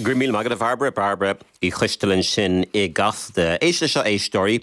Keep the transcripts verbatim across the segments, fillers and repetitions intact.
Go raibh míle maith agat a Bhairbre Bairbre Uí Choistealbha ansin i gCasta. Éist leis seo éisteoirí,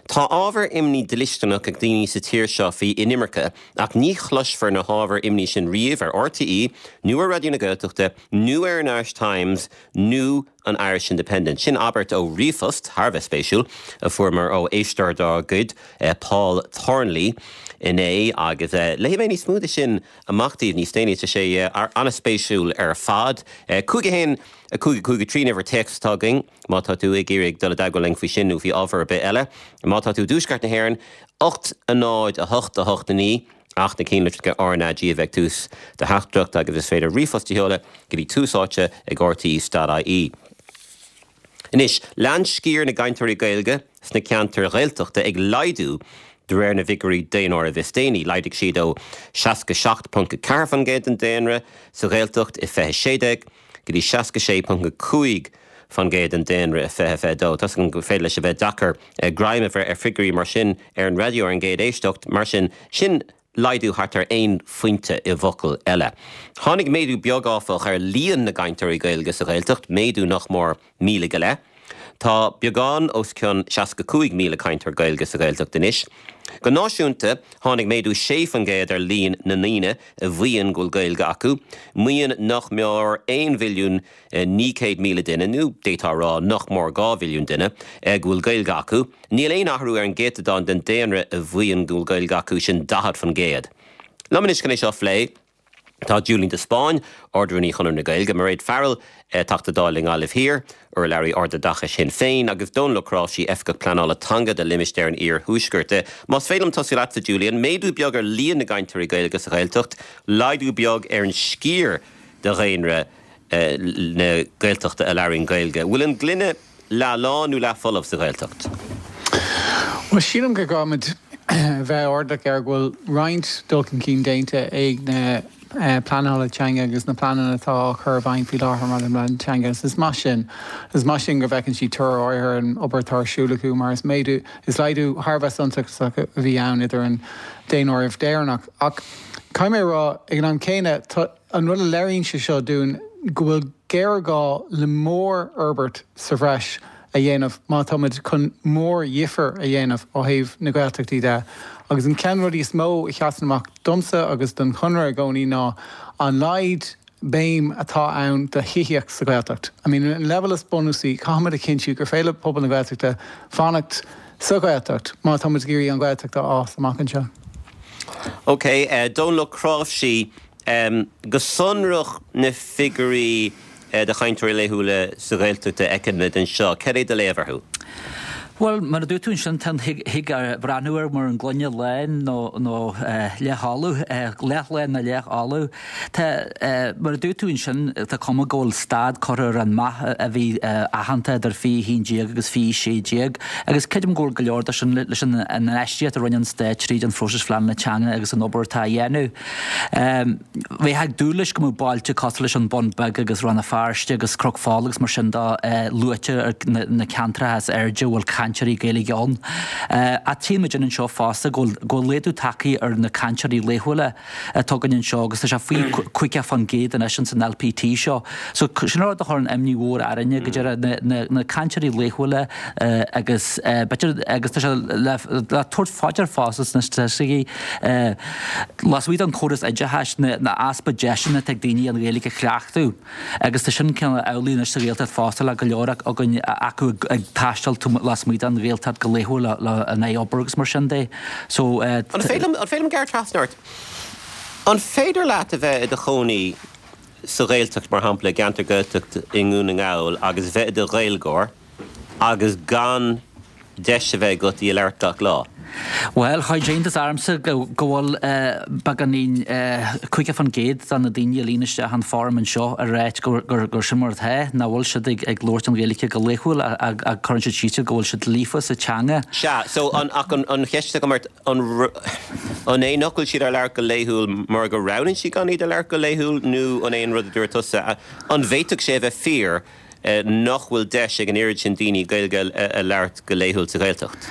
Tá ábhar imní dlisteanach ag daoine sa tír seo faoi inimirce ach ní chloisfear na hábhair imní sin riamh ar RTÉ nó ar Raidió na Gaeltachta nó ar an Irish Times nó an Irish Independent. Sin abairt ó ríomhphost thar a bheith spéisiúil a fuaireamar ó éisteoir dár gcuid eh, Paul Thornley inné agus eh, léifidh mé níos mó de sin amach daoibh níos déanaí tá sé eh, an-spéisiúil ar fad. Cúig a haon a cúig cúig trí uimhir téacs atá againn má tá tú ag iarraidh dul i dteagmháil linn faoi sin nó faoi ábhar ar bith eile. Má tá tú i dtuaisceart na hÉireann ocht a náid a hocht a hocht a naoi ach na ceannlitreacha RnaG a bheith ag tús do theachtaireacht agus is féidir ríomhphost a sheoladh go dtí Tús Áite ag RTÉ.ie. Anois lean sciar na gcainteoirí Gaeilge sna ceantair Ghaeltachta ag laghdú de réir na bhfigiúirí daonáirimh is déanaí, laghdaigh siad ó seasca seacht ponc ceathair faoin gcéad den daonra sa Ghaeltacht i fiche sé déag go dtí seasca sé ponc cúig faoin gcéad den daonra i fiche fiche dó. Tá go féidir leis a bheith deacair greim a bheith ar figiúirí mar sin ar an raidió ar an gcéad éisteacht, mar sin sin laghdú thart ar aon phointe i bhfocail eile. Tháinig méadú beag áfach ar líon na gcainteoirí Gaeilge sa Ghaeltacht, méadú nach mór míle go leith. Tá beagán os cionn seasca cúig míle cainteoir Gaeilge sa Ghaeltacht anois. Go náisiúnta tháinig méadú sé faoin gcéad ar líon na ndaoine a mhaíonn go bhfuil Gaeilge acu, maíonn nach mór aon mhilliún naoi céad míle duine nó d'fhéadfá rá nach mór dhá mhilliún duine go bhfuil Gaeilge acu. Níl aon athrú ar an gcéatadán den daonra a mhaíonn go bhfuil Gaeilge acu sin daichead faoin gcéad. Liom anois chun é seo a phlé Tá Julian de Spáinn, Ard-Rúnaí Chonradh na Gaeilge, Mairéad Farrell, Teachta Dála i nGaillimh Thiar, urlabhraí Ardoideachais Shinn Féin, agus Dónal Ó Cnáimhsí Oifigeach Pleanála Teanga do limistéar an Iarthuaiscirt. Más féidir liom tosú leatsa Julian, méadú beag ar líon na gcainteoirí Gaeilge sa Ghaeltacht, laghdú beag ar an sciar de dhaonra na Gaeltachta a labhraíonn Gaeilge. Bhfuil an gloine leath lán nó leath folamh sa Ghaeltacht? Well sílim go gcaithfimid bheith airdeallach ar go bhfuil roinnt dul chun cinn déanta ag na pleanála teanga agus na pleananna atá á chur i bhfeidhm faoi láthair mar an teanga. Is maith sin is maith sin go bhfeiceann siad toradh ar an obair atá ar siúl acu mar is méadú is laghdú thar a bheith suntasach a bhí ann idir an daonáireamh deireanach. Ach caithfidh mé rá ag an am céanna an rud a léiríonn sé seo dúinn go bhfuil géarghá le mórfhorbairt sa bhreis a dhéanamh má táimid chun mórdhifear a dhéanamh ó thaobh na Gaeltachtaí de. Agus an ceann rudaí is mó a sheasann amach domsa agus don Chonradh i gcónaí ná an laghad béim atá ann do thithíocht sa Ghaeltacht. I mean an level is bunúsaí caithfimid a chinntiú gur féidir le pobal na Gaeltachta fanacht sa Ghaeltacht má táimid ag iarraidh an Ghaeltacht a fhás amach anseo. Ok, uh, Dónal Ó Cnáimhsí um, go sonrach na figiúirí uh, de chainteoirí laethúla sa Ghaeltacht a fheicimid anseo, Cad é do léamh orthu? Well mar a dúirt tú sin thig breathnú air mar an gloine lán nó nó leathfholamh leathlán nó leathfholamh. Tá mar a dúirt tú sin tá cuma go bhfuil stad curtha ar an meath a bhí aitheanta idir fiche haon déag agus fiche sé déag, agus creidim go go leor de sin leis an infheistíocht a rinne an stát tríd an phróiseas phleanála teanga agus an obair atá á dhéanamh. Bheifeá ag dúil leis go mbeadh bailte cosúil leis an Bun Beag agus Rann na Feirste agus Cnoc Fola agus mar sin de luaite ar na ceantracha is airde bhfuil cainteoirí Gaeilge ann. A tchímid anseo fosta go bhfuil laghdú tagtha ar na cainteoirí laethúla atá againn anseo agus tá sé faoi caoga faoin gcéad anois san LPT seo. So sin rud a chuireann imní mhór orainne go deireadh na cainteoirí laethúla agus agus tá sé le tabhairt faoi deara fosta sna staitisticí lasmuigh den chóras oideachais na easpa deiseanna ag daoine an Ghaeilge a chleachtadh agus tá sin cineál amhlaidh anois sa Ghaeltacht fosta le go leor againn acu ag taisteal lasmuigh den Ghaeltacht go laethúil le an obair agus mar sin de. So An féidir liom gearradh trasna ort? An féidir leat a bheith i do chónaí sa Ghaeltacht mar shampla ceantar Gaeltacht i nDún na nGall agus bheith i do Ghaeilgeoir agus gan deis a bheith agat í a labhairt gach lá. Well chuir iontas ormsa go bhfuil beagáinín caoga faoin gcéad de na daoine a líon isteach an form anseo ag ráit gur sin mar atá nach bhfuil siad ag labhairt an Ghaeilge go laethúil a chuireann siad síos go bhfuil siad líofa sa teanga. Sea, so an ach an an cheist agam ort an an é nach bhfuil siad á labhairt go laethúil mar go roghnaíonn siad gan iad a labhairt go laethúil nó an é an rud a dúirt tusa an bhféadfadh sé a bheith fíor nach bhfuil deis ag an oiread sin daoine Gaeilge a labhairt go laethúil sa Ghaeltacht?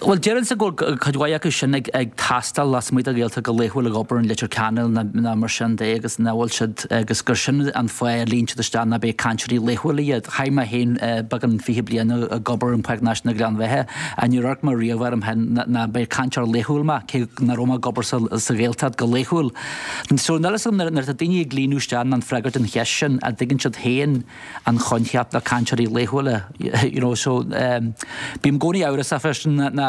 Bhuel, déarfainnse go bhfuil cuid mhaith acu sin ag ag taisteal lasmuigh den Ghaeltacht go laethúil ag obair in Leitir Ceanainn ná mar sin de agus nach bhfuil siad agus gur sin an fáth a líon siad isteach ná beidh cainteoirí laethúla iad. Chaith mé féin beagán fiche bliain ag obair in Páirc Náisiúnta Ghleann Bheatha a níor amharc mé riamh orm féin ná beidh cainteoir laethúil mé cé nach raibh mé ag obair sa Ghaeltacht go laethúil. So níl a fhios agam nuair atá daoine ag líonadh isteach an freagairt an cheist sin a dtuigeann siad féin an choincheap na cainteoirí laethúla you know so um, bím i gcónaí amhrasach freisin ná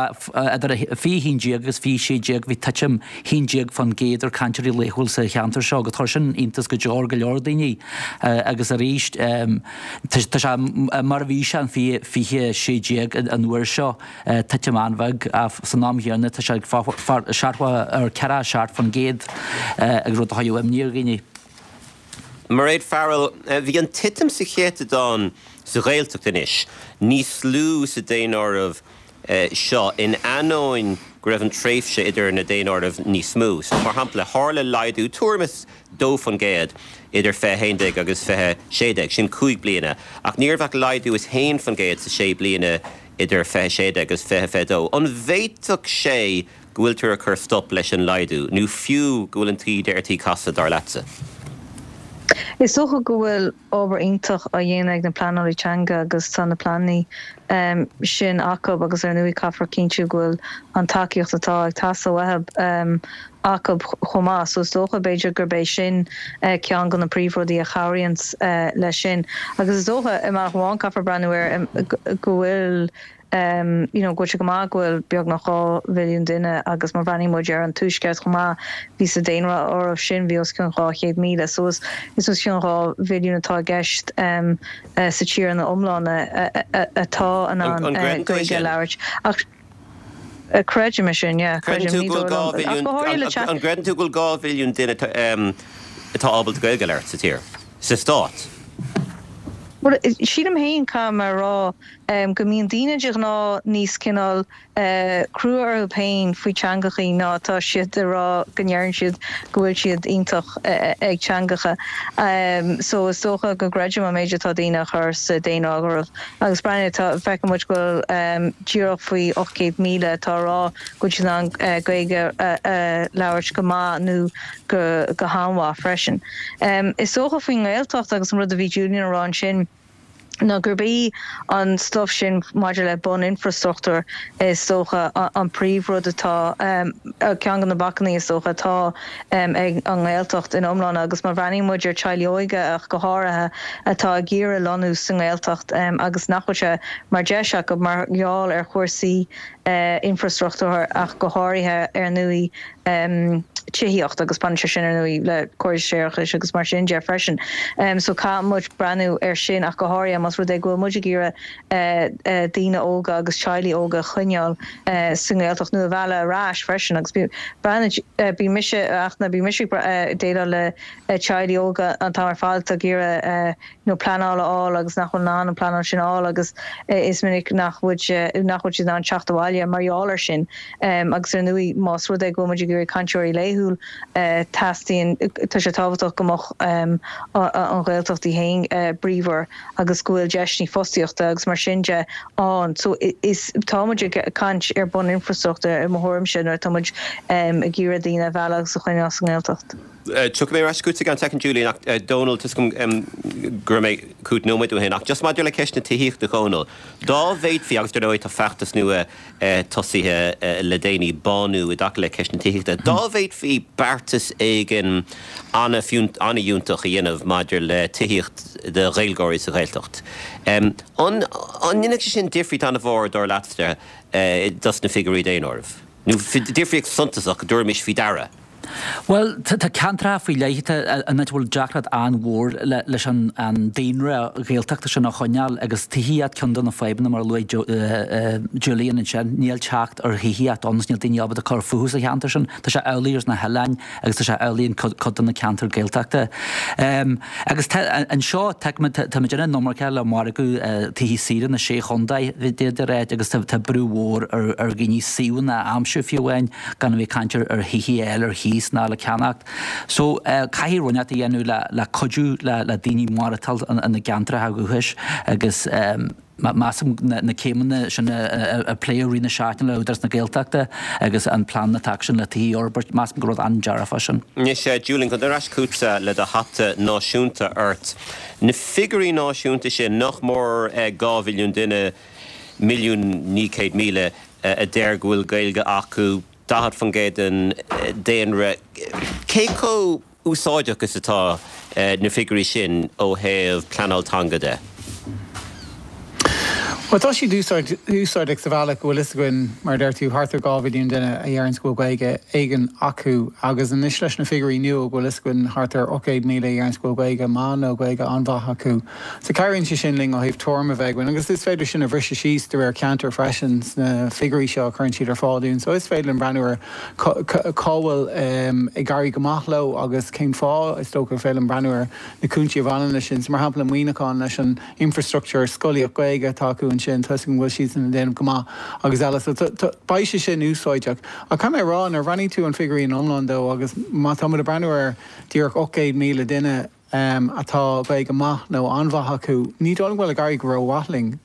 idir fiche haon déag agus fiche sé déag bhí titim haon déag faoin gcéad ar cainteoirí laethúil sa cheantar seo go chuir sin iontas go leor go leor daoine uh, agus arís um, tá sé mar a bhí sé an fiche sé déag an uair seo uh, titim an-bheag san am chéanna tá sé seachtó ar ceithre seacht faoin gcéad uh, ag rud a chuireann imní ar dhaoine. Mairéad Farrell, bhí an titim sa chéatadán sa Ghaeltacht anois, níos lú sa daonáireamh seo in ainneoin go raibh an tréimhse idir na daonáirimh níos mó. So mar shampla tharla laghdú tuairim is dó faoin gcéad idir fiche haon déag agus fiche sé déag, sin cúig bliana, ach ní raibh ach laghdú is haon faoin gcéad sa sé bliana idir fiche sé déag agus fiche fiche dó. An bhféadfadh sé go bhfuiltear ag cur stop leis an laghdú, nó fiú go bhfuil an taoide ar tí casadh dar leatsa? Is dócha go bhfuil obair iontach á dhéanamh ag na pleanálaí teanga agus tá na pleananna um, sin acu agus ar ndóigh caithfear cinntiú go bhfuil an tacaíocht atá ag teastáil uathu um, acu chomh maith, so is dócha b'fhéidir gurb é sin uh, ceann de na príomhrudaí a chabhraíonn uh, leis sin. Agus is dócha i mar amháin caithfear breathnú air um, go bhfuil um, you know, go go maith go bhfuil beagnach dhá mhilliún duine agus má bhreathnaíonn muid ar an tuaisceart chomh maith bhí sa daonáireamh sin bhí os cionn dhá chéad míle, so is is os cionn dhá mhilliún atá i gceist um, uh, sa tír ina iomláine atá in ann uh, Gaeilge a labhairt. Ach creidim sin, yeah, creidim An gcreideann tú go bhfuil dhá mhilliún duine atá ábalta Gaeilge a labhairt sa tír sa stát. Well, sílim féin caithfidh mé a rá um, go mbíonn daoine de ghnáth níos cineál uh, crua orthu féin faoi teangachaí ná tá siad a rá go ndeireann siad go bhfuil siad iontach uh, ag teangacha. Um, so is dócha go gcreidim an méid atá daoine a chur sa daonáireamh agus breathnaigh feiceann muid go bhfuil um, díreach faoi ocht gcéad míle atá rá go bhfuil siad in ann uh, Gaeilge uh, uh, labhairt go maith nó go, go han-mhaith freisin. Um, is dócha faoin nGaeltacht agus an rud a bhí Julian a rá ansin ná gurb é an stuff sin maidir le buninfrastruchtúr is dócha an príomhrud atá um, ceann de na bacainní is dócha atá um, ag an nGaeltacht in iomlán agus má bhreathnaíonn muid ar teaghlaigh óga ach go háirithe atá ag iarraidh lonnú sa nGaeltacht um, agus nach bhfuil sé mar deis acu mar gheall ar chúrsaí uh, infrastruchtúr ach go háirithe ar ndóigh um, tithíocht agus baineann sé sin ar ndóigh le córas séarachais agus mar sin de freisin. Um, so caithfidh muid breathnú ar sin ach go háirithe más rud é go bhfuil muid ag iarraidh uh, uh, daoine óga agus teaghlaigh óga a choinneáil uh, sa nGaeltacht nó a mhealladh ar ais freisin agus bhí mise ach na bhí mise déileáil le teaghlaigh óga an t-am ar fad ag iarraidh nó pleanáil a fháil agus nach bhfuil in ann an pleanáil sin a fháil agus is minic nach bhfuil nach bhfuil siad in ann teacht abhaile mar gheall air sin um, agus ar ndóigh más rud é go bhfuil muid ag iarraidh cainteoirí laethúil uh, teastaíonn tá sé tábhachtach go mbeadh um, an Ghaeltacht í féin uh, bríomhar agus go bhfuil deiseanna fostaíochta agus mar sin de ann. So is tá muid ag caint ar buninfrastruchtúr i mo thuairimse nuair tá muid um, ag iarraidh daoine a mhealladh agus a choinneáil sa nGaeltacht. Tiocfaidh mé ar ais chugat i gceann soicind Julian ach Dónal tá a fhios agam go raibh mé chugat nóiméad ó shin ach just maidir le ceist na tithíochta Dhónaill. Dá bhféadfaí agus dar ndóigh tá feachtas nua tosaithe le déanaí bánú i dtaca le ceist na tithíochta. Dá bhféadfaí beartas éigin an-fhiúntach a dhéanamh maidir le tithíocht do Ghaeilgeoirí sa Ghaeltacht. An ndéanfadh sé sin difríocht an-mhór dar leatsa dos na figiúirí daonáirimh? Nó difríocht suntasach go dtabharfaimis faoi deara. Well tá ceantracha faoi leith ina bhfuil deacracht an-mhór leis an daonra Gaeltachta sin a choinneáil agus tithíocht ceann de na fadhbanna mar a luaigh Julian ansin níl teacht ar thithíocht ann níl daoine ábalta cur fúthu sa cheantar sin tá sé amhlaidh ar na hoileáin agus tá sé amhlaidh in cuid de na ceantair Gaeltachta. Agus anseo tá muid in iomarca le margadh tithe saoire na sé chontae d'fhéadfaí a rá agus tá brú mhór ar dhaoine suíomhanna a aimsiú fiú amháin gan a bheith ag caint ar thithe eile ar thí cíos ná le ceannacht. So caithfidh rud a dhéanamh le le cuidiú le le daoine maireachtáil ina gceantracha dúchais agus measaim na céimeanna sin a pléadh i rith na seachtaine le Údarás na Gaeltachta agus an plean atá sin le tithe a fhorbairt, measaim gur rud an-dearfach sin. Anois, Julian, chun dul ar ais chugatsa le do hata náisiúnta ort. Na figiúirí náisiúnta sin, nach mór dhá mhilliún duine, milliún naoi céad míle, a deir go bhfuil Gaeilge acu, daichead faoin gcéad den daonra, cé chomh úsáideach is atá na figiúirí sin ó thaobh pleanáil teanga de? Bhuel, tá siad úsáideach sa bhealach go bhfuil fhios againn, mar a deir tú, thart ar dhá mhilliún duine a dheireanns go bhfuil Gaeilge éigin acu agus anois leis na figiúirí nua go bhfuil fhios againn thart ar ocht gcéad míle a dheireanns go bhfuil Gaeilge maith nó Gaeilge an-mhaith acu. So cabhraíonn sé sin linn ó thaobh tuairim a bheith againn agus is féidir sin a bhriseadh síos de réir ceantair freisin sna figiúirí seo a chuireann siad ar fáil dúinn. So is féidir linn breathnú ar cá bhfuil ag éirí go maith leo agus cén fáth is dócha féidir linn breathnú ar na cúinsí a bhaineann leis sin. So mar shampla Muineachán leis an infrastructúr scolaíocht Gaeilge atá acu ansin, tá go bhfuil siad ag déanamh go maith agus eile. So beidh sé sin úsáideach. Ach caithfidh mé a rá nuair a bhreathnaíonn tú an figiúirí in iomlán dó agus má tá muid ag breathnú ar díreach ocht gcéad míle duine atá Gaeilge maith nó an-mhaith acu, ní dóigh liom go bhfuil ag éirí go rómhaith linn.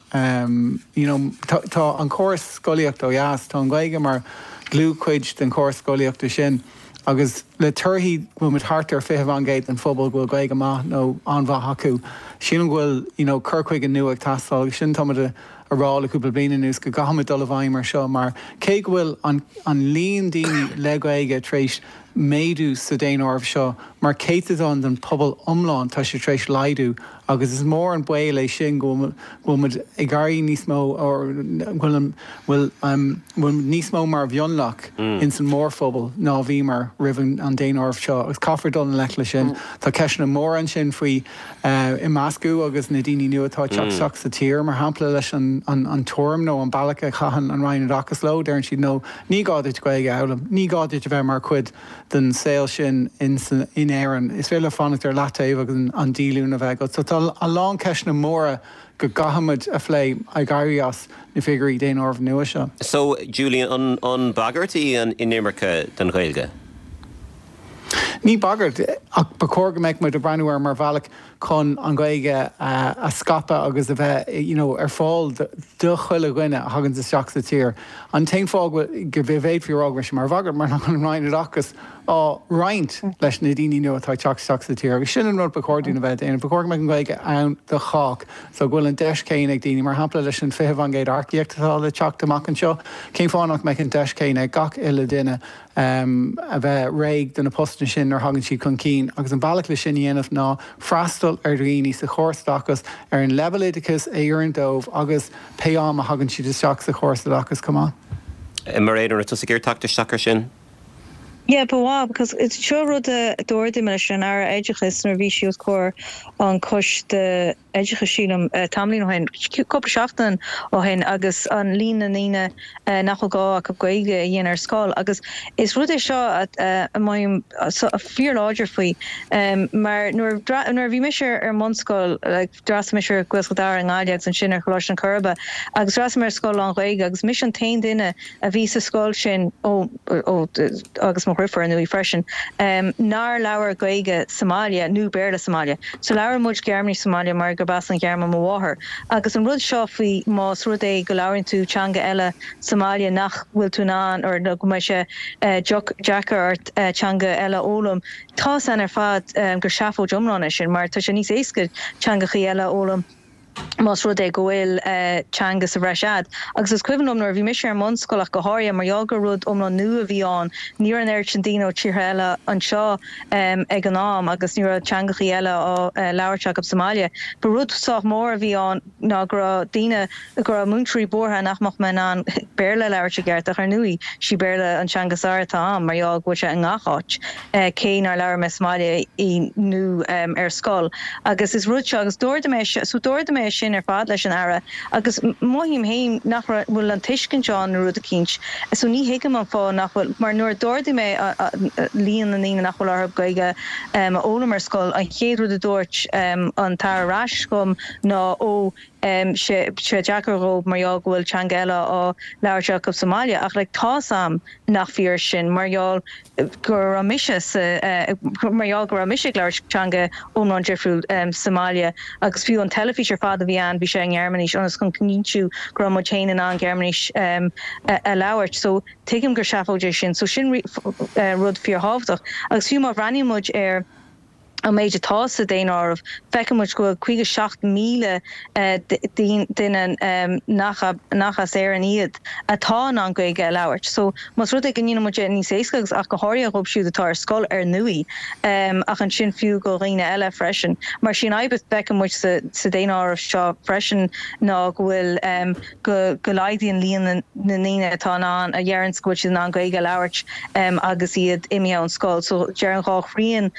You know, tá an córas scolaíochta ó dheas, tá an Ghaeilge mar dhlúthchuid den chóras scolaíochta sin agus le torthaí go bhfuil muid thart ar fiche faoin gcéad den phobal go bhfuil Gaeilge maith nó an-mhaith acu, sílim go bhfuil you know, cur chuige nua ag teastáil agus sin tá muid a rá le cúpla bliain anuas go gcaithfimid dul i bhfeidhm ar seo mar cé go bhfuil an, an líon daoine le Gaeilge tar éis méadú sa daonáireamh seo mar céatadán den phobal iomlán tá sé tar éis laghdú agus is mór an baol é sin go bhfuil muid ag éirí níos mó bhfuil bhfuil bhfuil níos mó mar mhionlach ins an mórphobal ná bhíomar roimh an daonáireamh seo agus caithfear dul i ngleic leis sin. Tá ceisteanna móra ansin faoi imeascadh agus na daoine nua atá ag teacht isteach sa tír mar shampla leis an an an tuairim nó an bealach a chaitheann an Roinn Oideachais leo, deireann siad nó ní gá duit Gaeilge a fhoghlaim, ní gá duit a bheith mar chuid den saol sin in in Éirinn. Is féidir fanacht ar leataobh agus an, an díolúine a bheith agat. So tá a lán ceisteanna móra go gcaithfimid a phlé ag éirí as na figiúirí daonáirimh nua seo. So Julian an, an bagairt í an inimirce don Ghaeilge? Ní bagairt ach ba chóir go mbeadh muid ag breathnú air mar bhealach chun an Ghaeilge a scaipeadh agus a bheith you know, ar fáil do chuile dhuine a thagann isteach sa tír. An t-aon fáth go bhféadfaí a rá go mar bhagairt mar nach an Roinn Oideachais á roinnt leis na daoine nua atá ag teacht isteach sa tír. Agus sin an rud ba chóir dúinn a bheith déanamh. Ba chóir go mbeadh an Ghaeilge ann do chách, so go bhfuil an deis céanna ag daoine mar shampla leis an fiche faoin gcéad earcaíocht atá le teacht amach anseo. Cén fáth nach mbeadh an deis céanna ag gach uile duine um, a bheith réidh do na postanna sin nuair a thagann siad chun cinn agus an bealach le sin a dhéanamh ná freastal ar dhaoine sa chóras oideachais ar an leibhéal oideachais a oireann dóibh agus pé am a thagann siad isteach sa chóras oideachais chomh maith. Mar éan tusa ag teacht isteach ar sin? Yeah, but wow, because it's seo rud a d'ardaigh mé leis an Aire Oideachais nuair a bhí sí os comhair an choiste oideachais sílim tamaillín ó shin, cúpla seachtain ó shin agus an líon na ndaoine nach bhfuil gá acu Gaeilge a dhéanamh ar scoil agus is rud é seo a mothaím fíorláidir faoi mar nuair nuair a bhí mise ar an mbunscoil like, d'fhreastail mise ar Ghaelscoil Dara i nGaillimh agus ansin ar Choláiste an Choirbe agus d'fhreastail mé ar scoil lán-Ghaeilge agus mise an t-aon duine a bhí sa scoil sin ó, ó, agus mo dheirfiúr ar ndóigh freisin, um, nár labhair Gaeilge sa mbaile nó Béarla sa mbaile. So labhair muid Gearmáinis sa mbaile mar gurb as an Ghearmáin mo mháthair. Agus an rud seo faoi más rud é go labhraíonn tú teanga eile sa mbaile nach bhfuil tú in ann or go mbeidh sé uh, deacair ort uh, teanga eile a fhoghlaim. Tá san ar fad um, gur seafóid iomlán é sin, mar tá sé níos éasca teangachaí eile a fhoghlaim más rud é go bhfuil uh, teanga sa bhreis agat. Agus is cuimhin liom nuair a bhí mise ar an mbunscoil ach go háirithe mar gheall gur rud iomlán nua a bhí ann, ní raibh an oiread sin daoine ó tíortha eile anseo um, ag an am agus ní raibh teangachaí eile á uh, labhairt acu sa mbaile. Ba rud sách mór a bhí ann ná go raibh daoine go raibh múinteoirí buartha nach mbeadh mé in ann Béarla a labhairt i gceart ach ar ndóigh sí Béarla an teanga is fearr atá ann mar gheall go bhfuil sé i ngach áit uh, cé nár labhair mé sa mbaile í nó um, ar scoil. Agus is rud seo agus d'ardaigh mé so d'ardaigh mé sin ar fad leis an Aire agus mothaím féin nach bhfuil an tuiscint ann nó rud eicínt. So ní thuigim an fáth nach bhfuil mar nuair a d'ardaigh mé líon na ndaoine nach bhfuil orthu Gaeilge um, a fhoghlaim ar scoil an chéad rud a dúirt um, an tAire ar ais chugam ná ó sé sé deacair dhóibh mar gheall go bhfuil teanga eile á labhairt acu sa mbaile ach like tá's a'm nach fíor sin mar gheall go raibh mise sa mar gheall go raibh mise ag labhairt teanga iomlán difriúil sa mbaile agus fiú an teilifís ar fad a bhí ann bhí sé i nGearmáinis ionas chun cinntiú go raibh muid féin in ann Gearmáinis a labhairt so tuigim gur seafóid é sin so sin rud fíorthábhachtach agus fiú má bhreathnaíonn muid ar an méid atá sa daonáireamh, feiceann muid go bhfuil caoga seacht míle duine nach nach as Éirinn iad atá in ann Gaeilge a labhairt. So más rud é go ndéanann muid é níos éasca agus ach go háirithe dhóibh siúd atá ar scoil ar ndóigh, ach ansin fiú go dhaoine eile freisin. Mar sin an fhadhb a fheiceann muid sa sa daonáireamh seo freisin ná go bhfuil go go laghdaíonn líon na ndaoine atá in ann a dheireanns go bhfuil siad in ann Gaeilge a labhairt agus iad imithe ón scoil. So deireann dhá thrian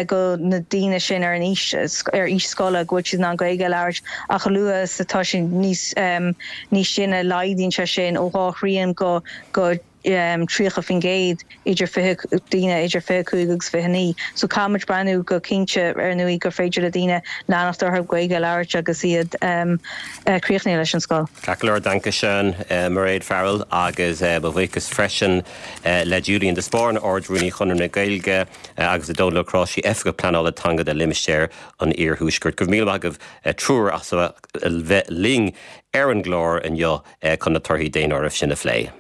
go na daoine sin ar an aois ar aois scoile go bhfuil siad in ann Gaeilge a labhairt ach a luaithe is atá siad níos níos sine laghdaíonn sé sin ó dhá thrian go go tríocha faoin gcéad idir fiche daoine idir fiche cúig agus fiche naoi. So caithfidh muid breathnú go cinnte ar ndóigh gur féidir le daoine leanacht orthu Gaeilge a labhairt agus iad críochnaithe leis an scoil. Ceart go leor, danke schön Mairéad Farrell agus mo bhuíochas freisin le Julian de Spáinn, Ard-Rúnaí Chonradh na Gaeilge agus le Dónal Ó Cnáimhsí, Oifigeach Pleanála Teanga do Limistéar an Iarthuaiscirt. Go raibh míle maith agaibh triúr as a bheith linn ar an gclár inniu chun na torthaí daonáirimh sin a phlé.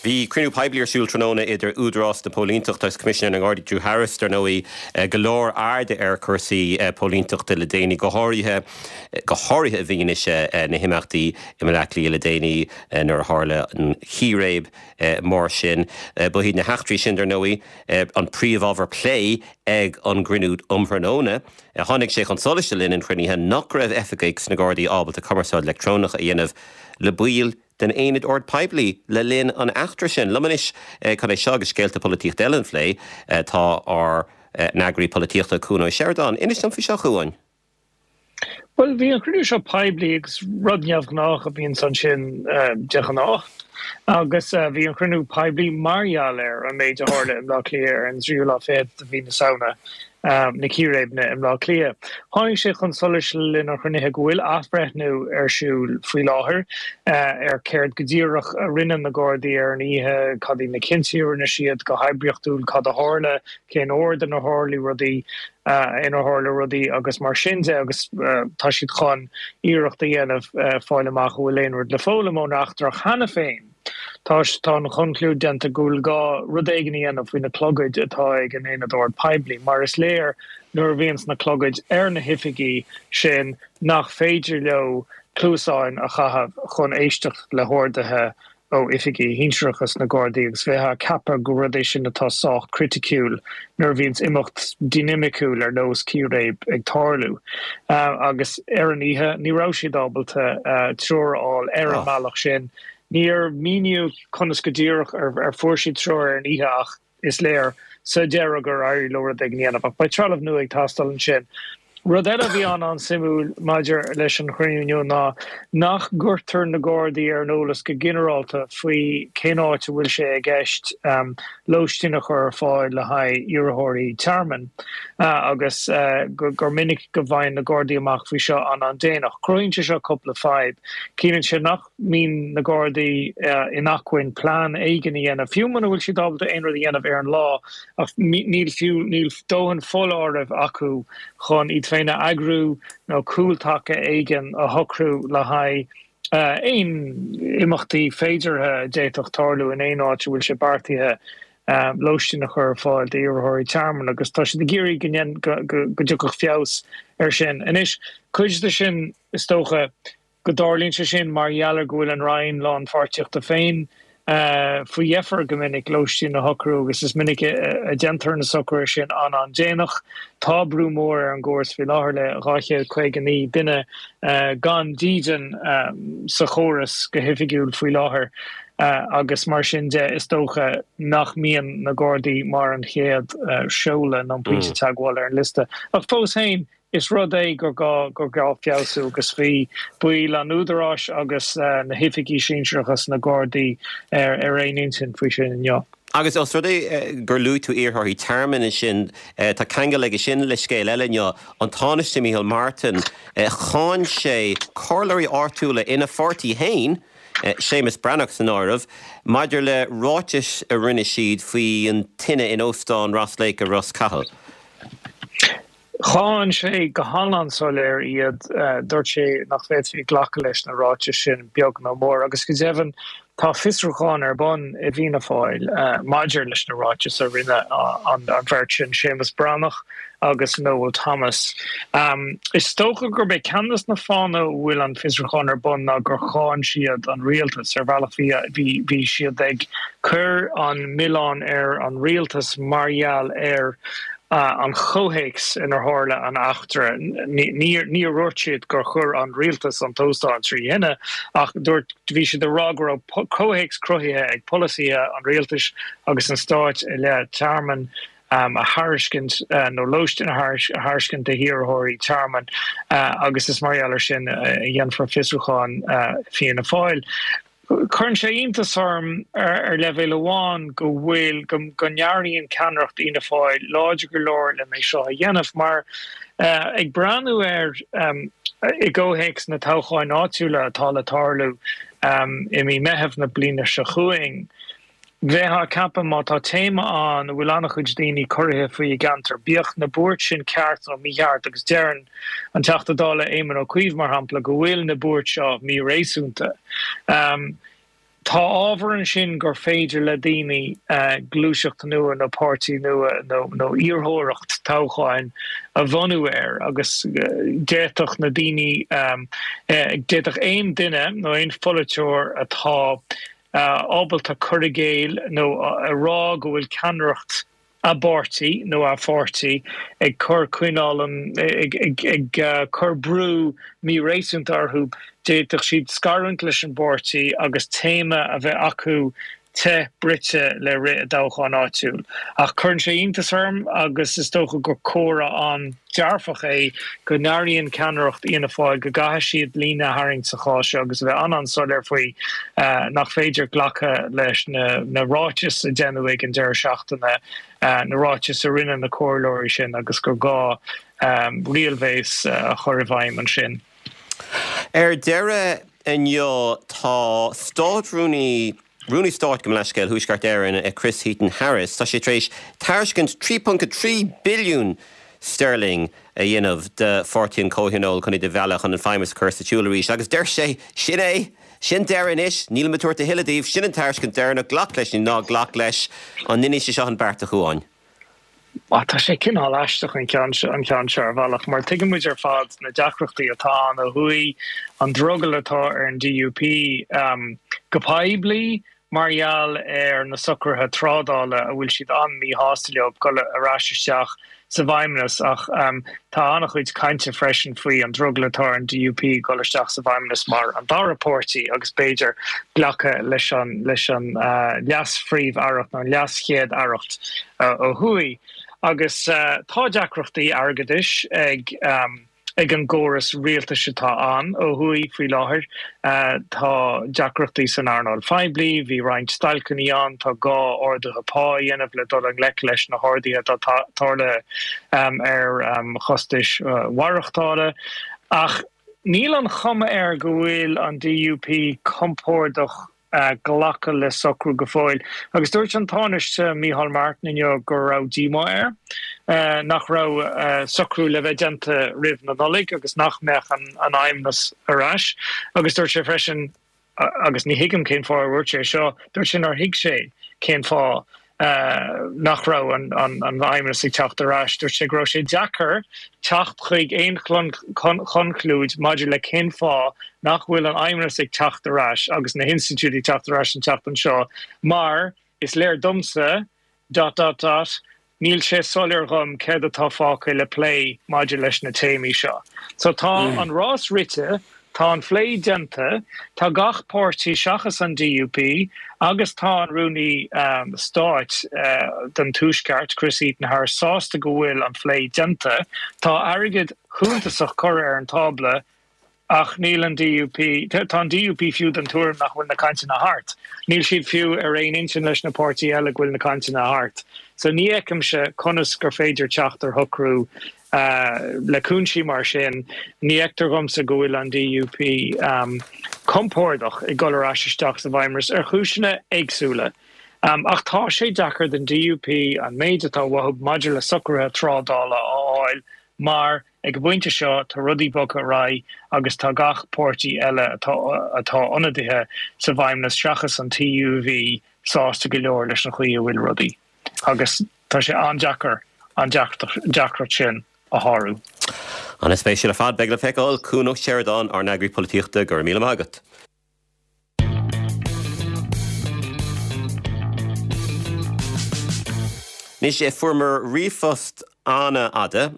Bhí cruinniú poiblí ar siúl tráthnóna idir Údarás na Póilíneachta agus Coimisinéir na nGardaí Drew Harris, dar ndóigh, go leor airde ar chúrsaí póilíneachta le déanaí, go háirithe go háirithe i bhfianaise na himeachtaí i mBaile Átha Cliath le déanaí nuair a tharla an chíréib mór sin. Ba iad na heachtraí sin, dar ndóigh, an príomhábhar plé ag an gcruinniú um thráthnóna. Tháinig sé chun solais le linn an chruinnithe nach raibh oifigigh sna Gardaí ábalta cumarsáid leictreonach a dhéanamh le baill den Aonad Ord Poiblí le linn an eachtra sin. Liom anois chun é seo agus scéalta polaitíochta eile a phlé tá ár n-eagraí polaitíochta Cuan Ó Seireadáin. Inis dom faoi seo, a Chuain. Bhuel, bhí an cruinniú seo poiblí agus rud neamhghnách a bhíonns ansin de ghnáth. Agus bhí an cruinniú poiblí mar gheall ar an méid a tharla i mBleá Cliath ar an tríú lá fichead de mhí na Samhna, na círéibeanna i mBleá Cliath. Tháinig sé chun solais le linn an chruinnithe go bhfuil athbhreithniú ar siúl faoi láthair ar céard go díreach a rinne na Gardaí ar an oíche, cad iad na cinntí a rinne siad go hoibríochtúil, cad a tharla, cén ord inar tharla rudaí, inar tharla rudaí agus mar sin de agus tá siad chun iarracht a dhéanamh fáil amach an bhfuil aon rud le foghlaim ón eachtra cheana féin. Tá tá an chonclúid déanta go bhfuil gá rud éigin a dhéanamh faoi na clogaid atá ag an Aonad Ord Poiblí mar is léir nuair a bhíonns na clogaid ar na hoifigigh sin nach féidir leo cluasáin a chaitheamh chun éisteacht le horduithe ó oifigigh shinsearacha sna Gardaí agus bheifeá ag ceapadh gur rud é sin atá sách criticiúil nuair a bhíonns imeacht dinimiciúil ar nós círéib ag tarlú. Agus ar an oíche ní raibh siad ábalta treoir a fháil ar an mbealach sin. Níor míníodh conas go díreach ar fuair siad treoir ar an oíche ach is léir sa deireadh gur éirigh leo rud éigin a dhéanamh. Ach beidh trealamh nua ag teastáil ansin. Rud eile a bhí an-an-suimiúil maidir leis an chruinniú inniu ná nach gcuirtear na Gardaí ar an eolas go ginearálta faoi cén áit a bhfuil sé i gceist lóistín a chur ar fáil le haghaidh iarrthóirí tearmainn agus gur minic go bhfaigheann na Gardaí amach faoi seo an-an-déanach. Cruthaíonn sé seo cúpla fadhb. Ciallaíonn sé nach mbíonn na Gardaí in acmhainn plean éigin a dhéanamh, fiú muna bhfuil siad ábalta aon rud a dhéanamh ar an lá, ach níl fiú níl dóthain foláirimh acu chun iad féin a eagrú nó cúltaca éigin a shocrú le haghaidh aon imeachtaí féideartha a d'fhéadfadh tarlú in aon áit a bhfuil sé beartaithe lóistín a chur ar fáil d'iarrthóirí tearmainn agus tá siad ag iarraidh go go dtiocfadh feabhas air sin. Anois, cuid de sin, is dócha, go dtarlaíonn sé sin mar gheall ar go bhfuil an Roinn Lánpháirtíochta féin faoi dheifir go minic lóistín a shocrú agus is minic a déantar na socruithe sin an-an-déanach. Tá brú mór ar an gcóras faoi láthair le dhá chéad caoga naoi duine gan dídean sa chóras go hoifigiúil faoi láthair agus mar sin de is dócha nach mbíonn na Gardaí mar an chéad seoladh nó an pointe teagmhála ar an liosta. Ach fós féin, Is rud é gur gá gur gá feabhsú agus bhí baill an Údaráis agus na hoifigigh sinsearacha sna Gardaí ar aon intinn faoi sin inniu. Agus os rud é gur luaigh tú iarrthóirí tearmainn ansin, tá ceangal aige sin le scéal eile inniu, an Tánaiste Micheál Martin, cháin sé comhairleoirí áitiúla ina pháirtí féin, Séamus Breathnach san áireamh, maidir le ráitis a rinne siad faoi an tine in Óstán Ross Lake i Ros Cathail. Cháin sé go han-an-soiléir iad. Dúirt sé nach bhféadfaí glacadh leis na ráitis sin, beag nó mór, agus go deimhin tá fiosrúchán ar bun i bhFianna Fáil maidir leis na ráitis a rinne an bheirt sin, Séamus Breathnach agus Noel Thomas. Is dócha gurb é ceann de na fáthanna a bhfuil an fiosrúchán ar bun ná gur cháin siad an rialtas. Ar bhealach bhí siad ag cur an milleán ar an rialtas mar gheall ar an chomhthéacs inar tharla an eachtra. Níor dhúirt siad gur chuir an rialtas an t-óstán trí thine, ach dúirt, bhí siad ag rá go raibh comhthéacs cruthaithe ag polasaithe an rialtais agus an stáit i leith tearmann a thairiscint nó lóistín a thairiscint do hiarrthóirí tearmainn agus is mar gheall air sin a dhéanfar fiosrúchán Fianna Fáil. Cuireann sé iontas orm ar leibhéal amháin go bhfuil, go n-airíonn ceannaireacht Fhianna Fáil láidir go leor len é seo a dhéanamh mar ag breathnú air i gcomhthéacs na toghcháin áitiúla atá le tarlú i mí Meitheamh na bliana seo chugainn, bheifeá ag ceapadh má tá téama ann a bhfuil an-chuid daoine corraithe faoi i gceantar, bíodh na buairt sin ceart nó mícheart agus deireann an Teachta Dála Éamon Ó Cuív, mar shampla, go bhfuil na buairt seo míréasúnta. Tá ábhar ansin gur féidir le daoine gluaiseacht nua nó páirtí nua nó iarrthóireacht toghcháin a bhunú air agus d'fhéadfadh na daoine, d'fhéadfadh aon duine nó aon pholaiteoir atá ábalta cur i gcéill nó a rá go bhfuil ceannaireacht a bpáirtí nó a pháirtí ag cur coinneáil an ag cur brú míréasúnta orthu, d'fhéadfadh siad scarúint leis an bpáirtí agus téama a bheith acu te bruite le rith i dtoghchán áitiúil. Ach cuireann sé iontas orm agus is dócha gur comhartha an-dearfach é go n-airíonn ceannaireacht Fhianna Fáil go gcaithfidh siad líne a tharraingt sa chás seo agus a bheith an-an-soiléir faoi nach féidir glacadh leis na ráitis a deineadh ag an deireadh seachtaine, na ráitis a rinne na comhairleoirí sin agus gur gá riailbhéas a chur i bhfeidhm ansin. Ar deireadh inniu tá Státrúnaí, Rúnaí Stáit gabh mo leithscéal, Thuaisceart Éireann, Chris Heaton Harris, tá sé tar éis tairiscint trí ponc a trí billiún sterling a dhéanamh do Pháirtí an Chomhthionóil chun iad a mhealladh chun an Feidhmeannas a chur sa tsiúl arís agus deir sé, sin é, sin deireadh anois, nílim ag tabhairt a thuilleadh daoibh, sin an tairiscint deireanach, glac leis nó ná glac leis, an ndéanfaidh sé seo an beart a Chuáin? Tá sé cineál aisteach an ceann seo an ceann seo ar bhealach mar tuigeann muid ar fad na deacrachtaí atá ann ó thuaidh, an drogall atá ar an DUP go poiblí mar gheall ar na socruithe trádála a bhfuil siad an-mhíshásta leo dul ar ais isteach sa bhFeidhmeannas ach tá an-chuid cainte freisin faoi an drogall atá ar an DUP dul isteach sa bhFeidhmeannas mar an dara páirtí agus b'fhéidir glacadh leis an leis an leas-phríomh-aireacht nó an leas-chéad-aireacht ó thuaidh. Agus tá deacrachtaí airgeadais ag ag an gcóras rialtais atá ann ó thuaidh faoi láthair. Tá deacrachtaí san earnáil phoiblí, bhí roinnt stailceanna ann, tá gá arduithe pá a dhéanamh le dul i ngleic leis na harduithe atá tarlaithe ar chostais mhaireachtála. Ach níl an chuma air go bhfuil an DUP compordach glacadh le socrú go fóill. Agus dúirt an Tánaiste Micheál Martin inniu go raibh díomá air nach raibh socrú le bheith déanta roimh na Nollaig agus nach mbeadh an Feidhmeannas ar ais. Agus dúirt sé freisin, agus ní thuigim cén fáth ar dhúirt sé seo, dúirt sé nár thuig sé cén fáth nach raibh an Feidhmeannas ag teacht ar ais. Dúirt sé go raibh sé deacair teacht chuig aon chonclúid maidir le cén fáth nach bhfuil an Feidhmeannas ag teacht ar ais agus na hinstitiúidí ag teacht ar ais an tseachtain seo mar is léir domsa dot dot dot níl sé soiléir dhom céard atá fágtha le plé maidir leis na téamaí seo. So tá an rás rite, tá an phlé déanta, tá gach páirtí seachas an DUP agus tá an Rúnaí Stáit don Tuaisceart, Chris Heaton-Harris, sásta go bhfuil an phlé déanta. Tá airgead shuntasach curtha ar an tábla. Ach níl an D U P, tá an D U P fiú den tuairim nach bhfuil na cainteanna thart. Níl siad fiú ar aon intinn leis na páirtithe eile go bhfuil na cainteanna thart. So ní fheicimse conas gur féidir teacht ar shocrú le cúinsí mar sin. Ní fheictear dhomsa go bhfuil an D U P compordach ag dul ar ais isteach sa bhFeidhmeannas ar chúiseanna éagsúla. Ach tá sé deacair don D U P an méid atá uathu maidir le socruithe trádála a fháil mar ag an bpointe seo tá rudaí bogtha ar aghaidh agus tá gach páirtí eile atá atá ionadaithe sa bhFeidhmeannas seachas an T U V sásta go leor leis an chaoi a bhfuil rudaí. Agus tá sé an-deacair an deacracht sin a shárú. An-spéisiúil ar fad. Beidh le feiceáil. Cuan Ó Seireadáin, ár n-eagraí polaitíochta, go raibh míle maith agat. Anois, fuaireamar ríomhphost an-fhada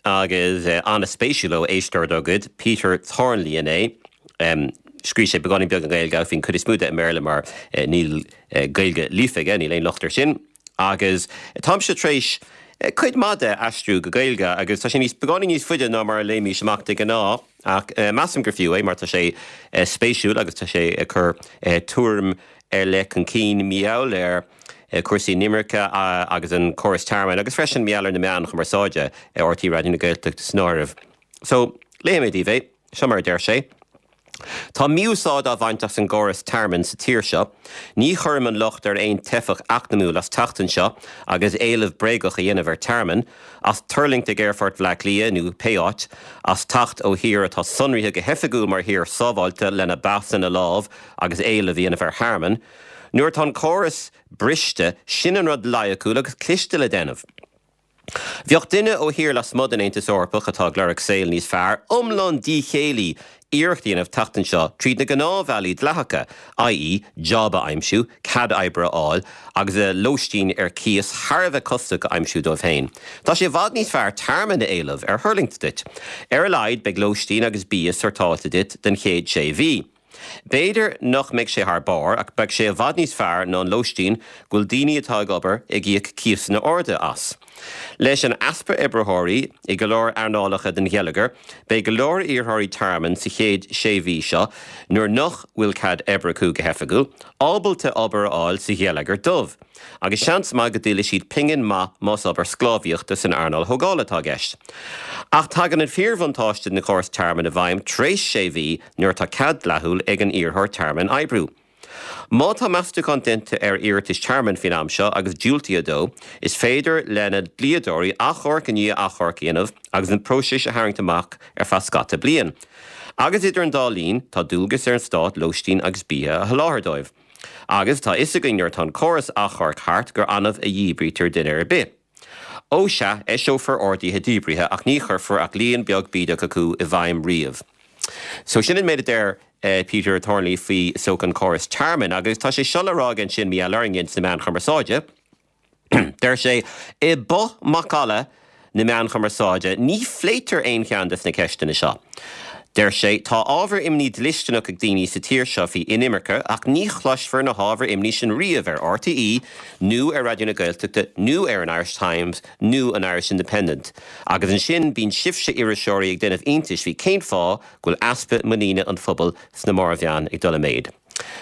agus an-spéisiúil ó éisteoir dár gcuid, Peter Thornley inné. Scríobh sé beagáinín beag i nGaeilge ach bhí an chuid is mó de i mBéarla mar níl Gaeilge líofa aige, níl aon locht air sin. Agus táimse tar éis cuid maith de a aistriú go Gaeilge agus tá sé níos beagáinín níos faide ná mar a léimis amach de ghnáth ach measaim gur fiú é mar tá sé spéisiúil agus tá sé ag cur tuairim ar leith chun cinn mar gheall ar cúrsaí inimirce agus an córas tearmainn agus freisin mar gheall ar na meáin chumarsáide, R T É Raidió na Gaeltachta san áireamh. So, léifidh mé daoibh é. Seo mar a deir sé. Tá mí-úsáid á bhaint as an gcóras tearmainn sa tír seo. Ní chuirim an locht ar aon teifeach eacnamúil as teacht anseo agus éileamh bréagach a dhéanamh ar tearmann, as tuirlingt ag aerfort Bhaile Átha Cliath nó pé áit, as teacht ó thír atá sonraithe go hoifigiúil mar thír sábháilte lena bpas ina lámh agus éileamh a dhéanamh ar thearmann. Nuair atá an córas briste, sin an rud loighciúil agus cliste le déanamh. Bheadh duine ó thír lasmuigh den Aontas Eorpach atá ag lorg saol níos fearr iomlán díchéillí iarracht a dhéanamh teacht anseo tríd na gnáthbhealaí dleathacha, i e job a aimsiú, cead oibre a fháil agus a lóistín ar cíos thar a bheith costasach a aimsiú dóibh féin. Tá sé i bhfad níos fearr tearmann a éileamh ar thuirlingt duit. Ar a laghad beidh lóistín agus bia sortáilte duit don chéad sé mhí. B'fhéidir nach mbeidh sé thar barr ach beidh sé i bhfad níos fearr ná an lóistín go bhfuil daoine atá ag obair ag íoc cíosanna arda as. Leis an easpa oibritheoirí i go leor earnálacha den gheilleagar, beidh go leor iarrthóirí tearmainn sa chéad sé mhí seo, nuair nach bhfuil cead oibre acu go hoifigiúil, ábalta obair a fháil sa gheilleagar dubh. Agus seans maith go dtuillfidh siad pingin maith más obair sclábhaíochta san earnáil thógála atá i gceist. Ach tagann an fíorbhuntáiste den chóras tearmainn i bhfeidhm tar éis sé mhí nuair atá cead dleathúil ag an iarrthóir tearmainn oibriú. Má tá meastúchán déanta ar iarratais tearmainn faoin am seo agus diúltaithe dó, is féidir lena dhlíodóirí achomharc i ndiaidh achomhairc a dhéanamh agus an próiseas a tharraingt amach ar feadh scata bliain. Agus idir an dá linn, tá dualgas ar an stát lóistín agus bia a sholáthar dóibh. Agus tá a fhios againn nuair atá an córas achomhairc thart gur annamh a dhíbrítear duine ar bith. Ó sea, eiseofar orduithe díbrithe ach ní chuirfear ach líon beag bídeach acu i bhfeidhm riamh. So sin an méid a deir Peter Thornley faoi is dócha an córas tearmainn agus tá sé seo le rá aige ansin mar gheall orainne sna meáin chumarsáide. Deir sé, I bputh macalla na meán chumarsáide, ní phléitear aon cheann des na ceisteanna seo. Deir sé, Tá ábhar imní dlisteanach ag daoine sa tír seo faoi inimirce ach ní chloisfear na hábhair imní sin riamh ar R T É nó ar Raidió na Gaeltachta nó ar an Irish Times nó an Irish Independent. Agus ansin bíonn sibhse iriseoirí ag déanamh iontais faoi cén fáth go bhfuil easpa muiníne an phobail sna mórmheáin ag dul i méid.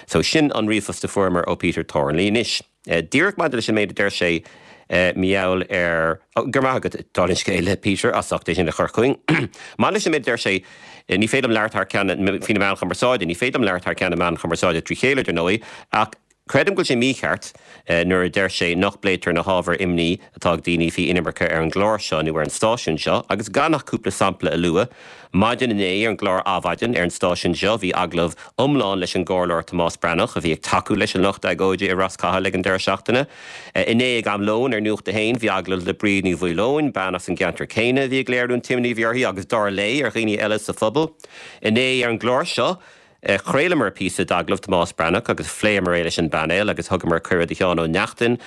So sin an ríomhphost a fuaireamar ó Peter Thornley anois. Díreach maidir leis an méid a deir sé mar gheall ar, go raibh maith agat, dála an scéil, Peter, as ucht é sin a chur chugainn. Maidir leis an méid a deir sé, ní féidir liom labhairt thar ceann faoi na meáin chumarsáide, ní féidir liom labhairt thar ceann na meán chumarsáide trí chéile, dar ndóigh, ach creidim go bhfuil sé mícheart nuair a deir sé nach bpléitear na hábhair imní atá ag daoine faoi inimirce ar an gclár seo nó ar an stáisiún seo, agus gan ach cúpla sampla a lua. Maidin inné ar an gclár Adhmhaidin ar an stáisiún seo bhí agallamh iomlán leis an gComhairleoir Tomás Breathnach a bhí ag tacú leis an lucht agóide i Ros Cathail ag an deireadh seachtaine. Inné ag am lóin ar Nuacht a hAon bhí agallamh le Bríd Ní Mhaoileoin, bean as an gceantar céanna a bhí ag léiriú an t-imní a bhí uirthi agus dar léi ar dhaoine eile sa phobal. Inné ar an gclár seo, Chraolamar píosa d'agallamh Tomás Breathnach agus phléamar é leis an bpainéal agus thugamar cuireadh do Sheán Ó Neachtain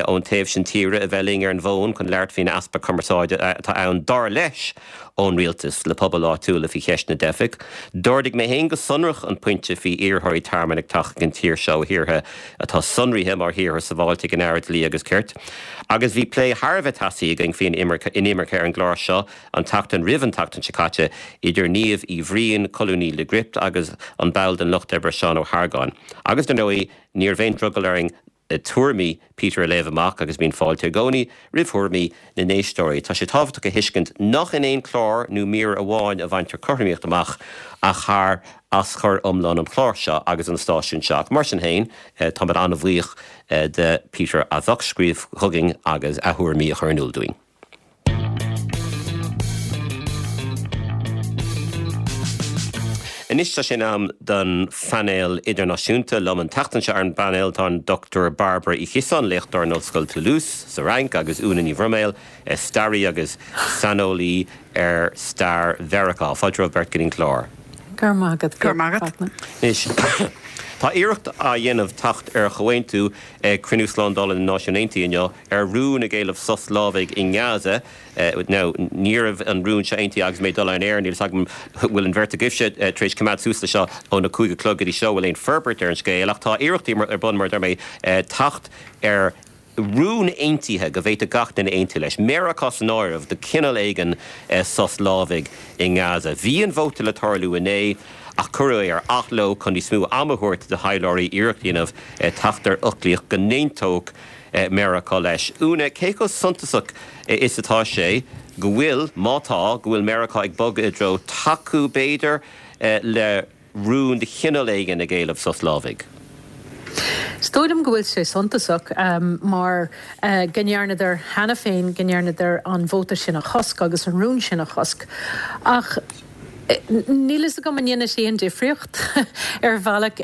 ón taobh sin tíre a bheith linn ar an bhfón chun labhairt faoin easpa cumarsáide atá ann dar leis ón rialtas le pobail áitiúla faoi cheist na dteifeach. D'ardaigh mé féin go sonrach an pointe faoi iarrthóirí tearmainn ag teacht chuig an tír seo ó thíortha atá sonraithe mar thíortha sábháilte ag an Aire Dlí agus Cirt. Agus bhí plé thar a bheith teasaí againn faoin inimirce ar an gclár seo an tseachtain roimh an tseachtain seo caite idir Niamh Uí Bhriain, colúnaí le Gript agus an ball den Lucht Oibre Seán Ó hArgáin. Agus dar ndóigh, ní raibh aon drogall orainn tuairimí Peter a léamh amach agus bíonn fáilte i gcónaí roimh thuairimí na n-éisteoirí. Tá sé tábhachtach a thuiscint nach in aon chlár nó mír amháin a bhaintear cothromaíocht amach ach thar aschur iomlán an chláir seo agus an stáisiúin seo. Ach mar sin féin, táimid an-bhuíoch de Peter as ucht scríobh chugainn agus a thuairimí a chur in iúl dúinn. Anois tá sé in am don phainéal idirnáisiúnta. Liom an tseachtain seo ar an bpainéal tá an Dochtúir Bairbre Uí Chiosáin, léachtóir in Ollscoil Toulouse sa Fhrainc, agus Úna Ní Bhroiméil, staraí agus saineolaí ar stair Mheiriceá. Fáilte romhaibh beirt go dtí an clár. Go raibh maith agat. Go raibh maith agat. Anois, tá iarracht á dhéanamh teacht ar chomhaontú ag Cruinniú Slándála na Náisiún Aontaithe inniu ar rún ag éileamh sos lámhaigh i nGaza. Now, ní raibh an rún seo aontaithe agus mé ag dul ar an aer, níl a fhios agam bhfuil an bheirt agaibhse tar éis coimeád suas leis seo óna cúig a chlog go dtí seo, bhfuil aon forbairt ar an scéal, ach tá iarrachtaí ar bun, mar a deir mé, teacht ar rún aontaithe go bhféadfadh gach duine aontú leis, Meiriceá san áireamh, de chineál éigin sos lámhaigh i nGaza. Bhí an vóta le tarlú inné ach cuireadh é ar athló chun níos mó ama a thabhairt do thaidhleoirí iarracht a dhéanamh teacht ar fhoclaíocht go n-aontódh Meiriceá leis. Úna, cé chomh suntasach is atá sé go bhfuil, má tá, go bhfuil Meiriceá ag bogadh i dtreo tacú, b'fhéidir, le rún de chineál éigin ag éileamh sos lámhaigh? Is dóigh liom go bhfuil sé suntasach mar go ndearnadar cheana féin, go ndearnadar an vóta sin a chosc agus an rún sin a chosc. Ach níl fhios agam an ndéanfaidh sé aon difríocht ar bhealach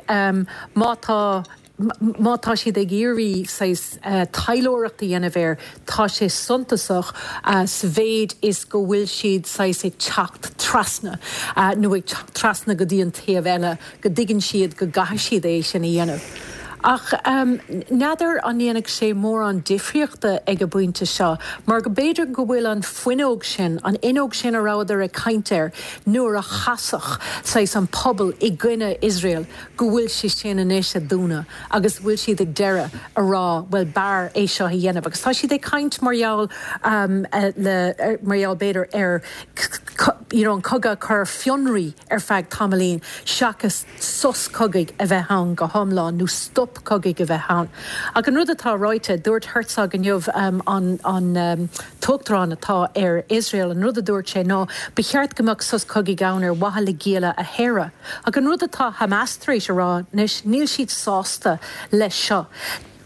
má tá má tá siad ag iarraidh saghas taidhleoireacht a dhéanamh air, tá sé suntasach sa mhéid is go bhfuil siad saghas ag teacht trasna nó ag teacht trasna go dtí an taobh eile, go dtuigeann siad go gcaithfidh siad é sin a dhéanamh. Ach n'fheadar an ndéanfaidh sé mórán difríochta ag an bpointe seo, mar go b'fhéidir go bhfuil an fuinneog sin, an fhuinneog sin a rabhadar ag caint air nuair a chasfadh saghas an pobal i gcoinne Iosrael, go bhfuil sé sin anois ag dúnadh agus go bhfuil siad ag deireadh a rá bhuel b'fhearr é seo a dhéanamh. Agus tá siad ag caint mar gheall le, mar gheall b'fhéidir ar you know an cogadh a chur ar fionraí ar feadh tamaillín seachas sos cogaidh a bheith ann go hiomlán nó stop cogaidh a bheith ann. Ach an rud atá ráite, dúirt Herzog inniu, an an t-uachtarán atá ar Iosrael, an rud a dúirt sé ná ba cheart go mbeadh sos cogaidh ann ar mhaithe le gialla a shaoradh. Ach an rud atá Hamas tar éis a rá anois, níl siad sásta leis seo.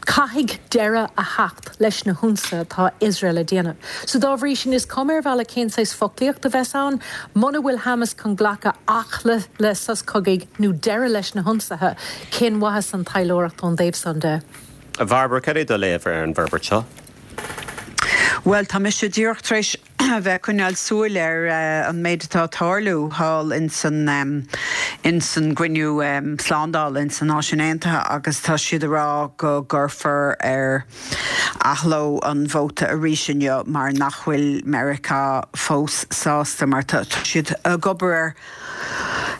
Caithfidh deireadh a theacht leis na hionsaithe atá Iosrael a déanamh. So dá bhrí sin, is cuma ar bhealach cén saghas foclaíocht a bheas ann, muna bhfuil Hamas chun glacadh ach le le sos cogaidh nó deireadh leis na hionsaithe, cén mhaitheas an taidhleoireacht ón dtaobh san de? A Bhairbre, cad é do léamh ar an bhforbairt seo? Bhuel, tá mise díreach tar éis a bheith ag coinneáil súil ar an méid atá ag tarlú thall ins an ins an gcruinniú slándála ins na Náisiúin Aontaithe agus tá siad ag rá go gcuirfear ar athló an vóta arís inniu mar nach bhfuil Meiriceá fós sásta mar tá siad ag obair ar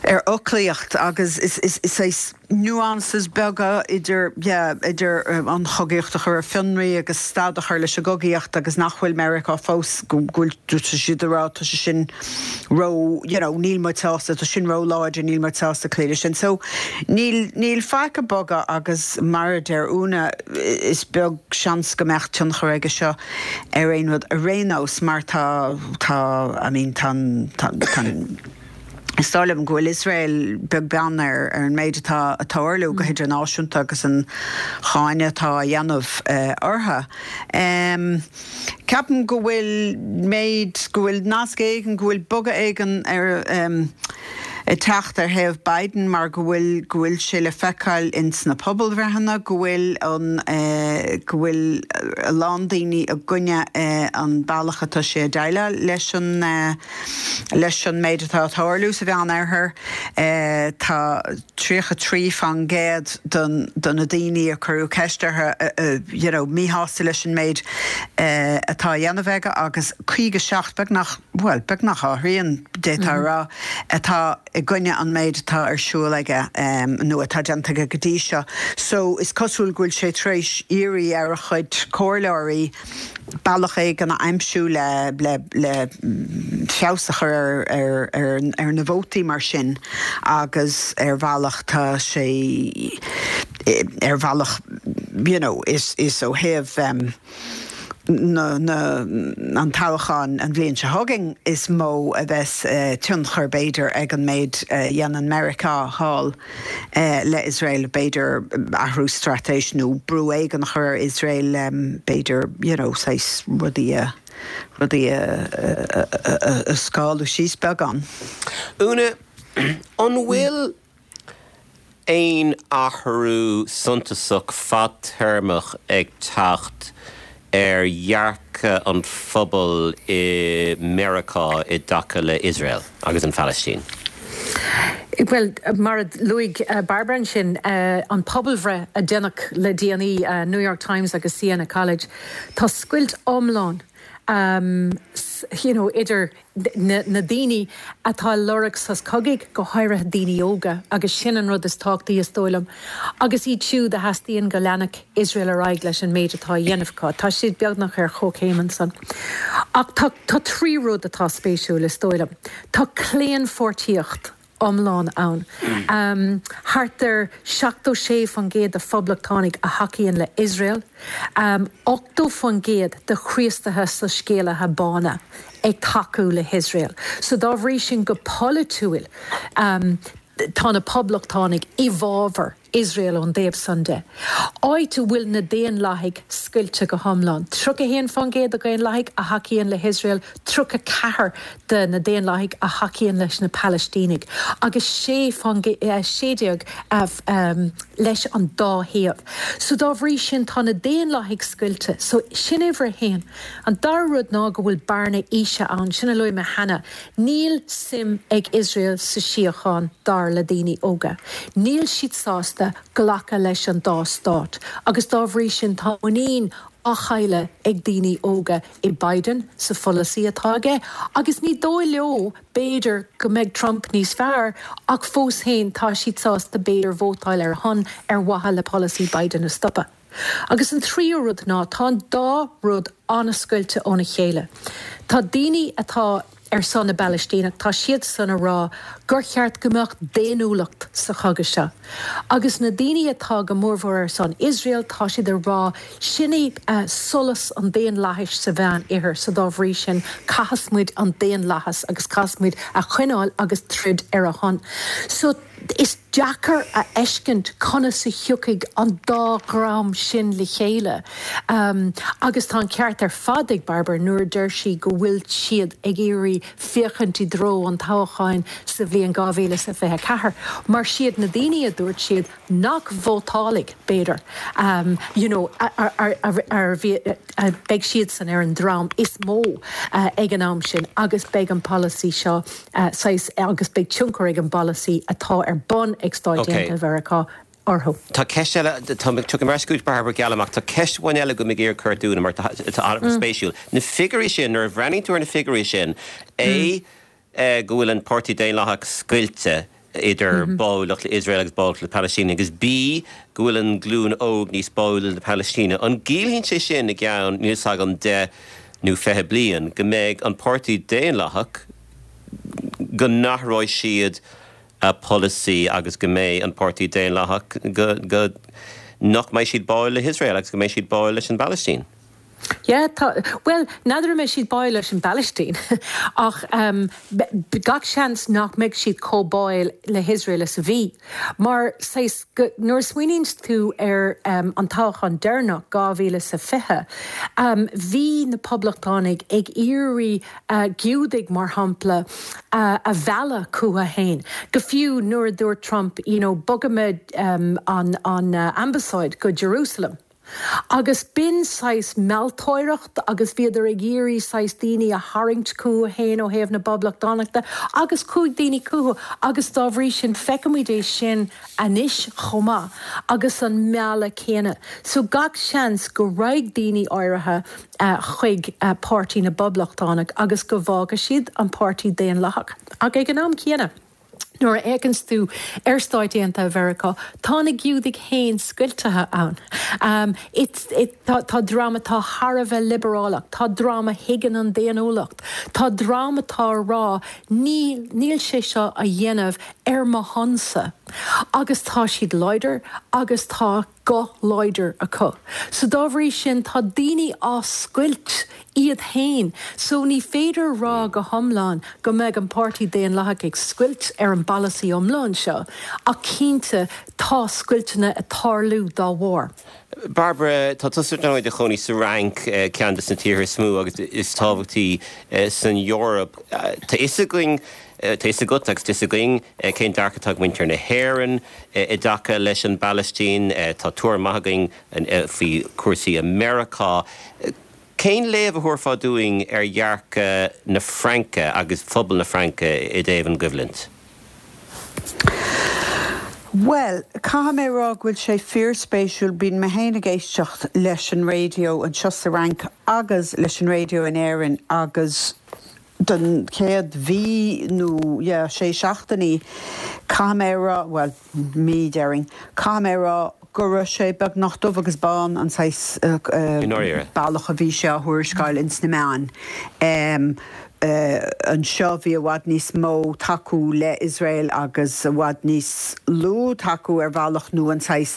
ar fhoclaíocht agus is is is saghas nuances beaga idir yeah idir an chogaíocht a chur ar fionraí agus stad a chur leis an gcogaíocht agus nach bhfuil Meiriceá fós go bhfuil tá siad ag rá tá sé sin ró you know níl muid sásta tá sin ró láidir níl muid sásta cloí leis sin so níl níl faic ag bogadh agus mar a deir Úna is beag seans go mbeadh tionchar aige seo ar aon rud ar aon nós mar tá tá I mean tá tá tá Is dóigh liom go bhfuil Iosrael beag beann ar an méid atá ag tarlú go hidirnáisiúnta agus an cháineadh atá á dhéanamh orthu. Ceapaim go bhfuil méid, go bhfuil nasc éigin, go bhfuil bogadh éigin ar ag teacht ar thaobh Biden mar go bhfuil go bhfuil sé le feiceáil ins na pobalbhreitheanna go bhfuil an eh, go bhfuil a lán daoine i gcoinne eh, an bealach atá sé ag déileáil leis an eh, leis an méid atá ag tarlú sa Mheánoirthear eh, tá tríocha trí faoin gcéad don do na daoine a cuireadh ceist orthu eh, eh, you know, míshásta leis an méid eh, atá á dhéanamh aige agus caoga seacht beagnach well beagnach a thrian d'fhéadfá a rá atá i gcoinne an méid atá ar siúl aige um, nó atá déanta aige go dtí seo. So is cosúil go bhfuil sé tar éis iarraidh ar a chuid comhairleoirí bealach éigin a aimsiú le le le mm, feabhas a chur ar, ar, ar, ar na vótaí mar sin agus ar bhealach tá sé ar bhealach you know, is, is ó thaobh um, na, na, an toghchán an bhliain seo chugainn is mó a bheas uh, tionchar b'fhéidir ag an méid uh, dhéanann Meiriceá thall uh, le Israel b'fhéidir athrú straitéis nó brú éigin a chur ar Israel um, b'fhéidir you know, saghas rudaí a rudaí a, a, a, a, a scáú síos beagán. Úna an bhfuil aon athrú suntasach fadtéarmach ag teacht ar dhearcadh an phobail i Meiriceá i dtaca le Israel agus an Phalaistín. Well, mar a luaigh uh, Barbara ansin uh, an pobalbhreith a déanadh le déanaí uh, New York Times agus Siena College, Tá scoilt iomlán um, you know, idir na, na daoine atá ag lorg sos cogaidh go háirithe daoine óga agus sin an rud is tábhachtaí is dóigh liom. Agus iad siúd a theastaíonn go leanfadh Israel ar aghaidh leis an méid atá á dhéanamh acu. Tá siad beagnach ar chomhchéim ansan. Ach tá, tá trí rud atá spéisiúil is dóigh liom. Tá claonpháirtíocht iomlán ann. Um, Thart ar seachtó sé faoin gcéad de phoblachtánaigh a thacaíonn le Israel, um, ochtó faoin gcéad de Chríostaithe soiscéalaithe bána ag tacú le hIsrael. So dá bhrí sin go polaitiúil um, tá na poblachtánaigh i bhfabhar Israel ón dtaobh san de. Áit a bhfuil na daonlathaigh scoilte go hiomlán. Tríocha haon faoin gcéad de dhaonlathaigh a thacaíonn le hIsrael, tríocha ceathair de na daonlathaigh a thacaíonn leis na Palaistínigh. Agus sé sé déag um, leis an dá thaobh. So dá bhrí sin tá na daonlathaigh scoilte, so sin uimhir a haon. An dara rud ná go bhfuil bearna aoise ann sin a luaigh mé cheana. Níl suim ag Israel sa síocháin dar le daoine óga. Níl siad sásta glacadh leis an dá stát, agus dá bhrí sin tá muinín á chailleadh ag daoine óga i Biden sa pholasaí atá aige, agus ní dóigh leo b'fhéidir go mbeidh Trump níos fearr ach fós féin tá siad sásta b'fhéidir vótáil ar a shon ar mhaithe le polasaí Biden a stopadh. Agus an tríú rud ná tá an dá rud an-scoilte óna chéile. Tá daoine atá ar son na bPalaistíneach tá siad san ag rá gur cheart go mbeadh daonnúlacht sa chogadh seo. Agus na daoine atá go mórmhór ar son Israel tá siad ag rá sin é uh, solas an daonlathais sa Mheánoirthear sa dá bhrí sin caithfidh muid an daonlathas agus caithfidh muid a choinneáil agus troid ar a shon. So is deacair a fheiscint conas a thiocfaidh an dá dhream sin le chéile. Um, agus tá an ceart ar fad ag Barbara nuair a deir sí go bhfuil siad ag iarraidh féachaint i dtreo an toghcháin sa bhliain dhá mhíle is fiche ceathair. Mar siad na daoine a dúirt siad nach vótálfaidh b'fhéidir. Um, you know, ar, ar, ar, ar, beidh siad san ar an dream is mó uh, ag an am sin agus beidh an polasaí seo uh, agus beidh tionchar ag an bpolasaí atá ar bun ag Stáit Aontaithe Mheiriceá orthu. Tá ceist eile tá mar scoot Barbara Gallamach tá ceist amháin eile go mé cur dúna mar tá mm. spéisiúil. Na figiúirí sin nuair a bhreathnaíonn tú ar na figiúirí sin é mm. go bhfuil an Páirtí Daonlathach scoilte idir mm -hmm. báúlacht le Israel agus báúlacht le Palestina agus B go bhfuil an glún óg níos báúla le Palestina. An gciallaíonn sé sin i gceann níl agam deich nó fiche bliain go mbeidh an Páirtí Daonlathach go n-athróidh siad a polasaí agus go mbeidh an Páirtí Daonlathach go, go nach mbeidh siad báúil le hIsrael agus go mbeidh siad báúil leis an bPalaistín. Yeah, tá, well, n'fheadar an mbeidh siad báúil leis an bPalaistín ach um, gach seans nach mbeidh siad chomh báúil le hIsrael is a bhí. Mar saghas, nuair a smaoiníonn tú ar um, an toghchán deireanach dhá mhíle is a fiche, um, bhí na poblachtánaigh ag iarraidh uh, Giúdaigh mar shampla uh, a mhealladh chucu féin. Go fiú nuair a dúirt Trump, you know, bogfaimid um, an, an uh, ambasáid go Jerusalem. Agus b'in saghas mealltóireacht agus bhíodar ag iarraidh saghas daoine a tharraingt chucu féin ó thaobh na bPoblachtánach de agus chuaigh daoine chucu agus dá bhrí sin feicimid é sin anois chomh maith agus an mealladh céanna. So gach seans go raghaidh daoine áirithe chuig Páirtí na bPoblachtánach agus go bhfágfaidh siad an Páirtí Daonlathach. Ach ag an am céanna. Nuair a fhéachanns tú ar Stáit Aontaithe Mheiriceá, tá na Giúdaigh féin scoiltithe ann. Um, it, it, tá, tá dream atá thar a bheith liobrálach, tá dream a thuigeann an daonnúlacht, tá dream atá ag rá níl, níl sé seo á dhéanamh ar mo shonsa. Agus tá siad láidir agus tá guth láidir acu. So dá bhrí sin tá daoine á scoilt iad féin, so ní féidir rá go hiomlán go mbeidh an Páirtí Daonlathach ag scoilt ar an bpolasaí iomlán seo, ach cinnte tá scoilteanna ag tarlú dá bharr. Barbara, tá tusa ar ndóigh i do chónaí sa Fhrainc, ceann de na tíortha is mó agus is tábhachtaí san Eoraip. Tá fhios againn, tá fhios agat agus tá fhios againn cén dearcadh atá ag muintir na hÉireann i dtaca leis an bPalaistín. Tá tuairim maith againn faoi chúrsaí i Meiriceá. Cén léamh a thabharfá dúinn ar dhearcadh na Fraince agus phobal na Fraince i dtaobh an gcoimhlint? Bhuel, caithfidh mé a rá go bhfuil sé fíorspéisiúil, bíonn mé féin ag éisteacht leis an raidió anseo sa Fhrainc agus leis an raidió in Éirinn agus don chéad mhí nó yeah, sé seachtainí, caithfidh mé a rá, bhuel, mí déarfainn, caithfidh mé a rá go raibh sé beagnach dubh agus bán an saghas bealach a bhí sé á thuarascáil ins na meáin. Anseo bhí i bhfad níos mó tacú le Iosrael agus i bhfad níos lú tacú ar bhealach nó an saghas,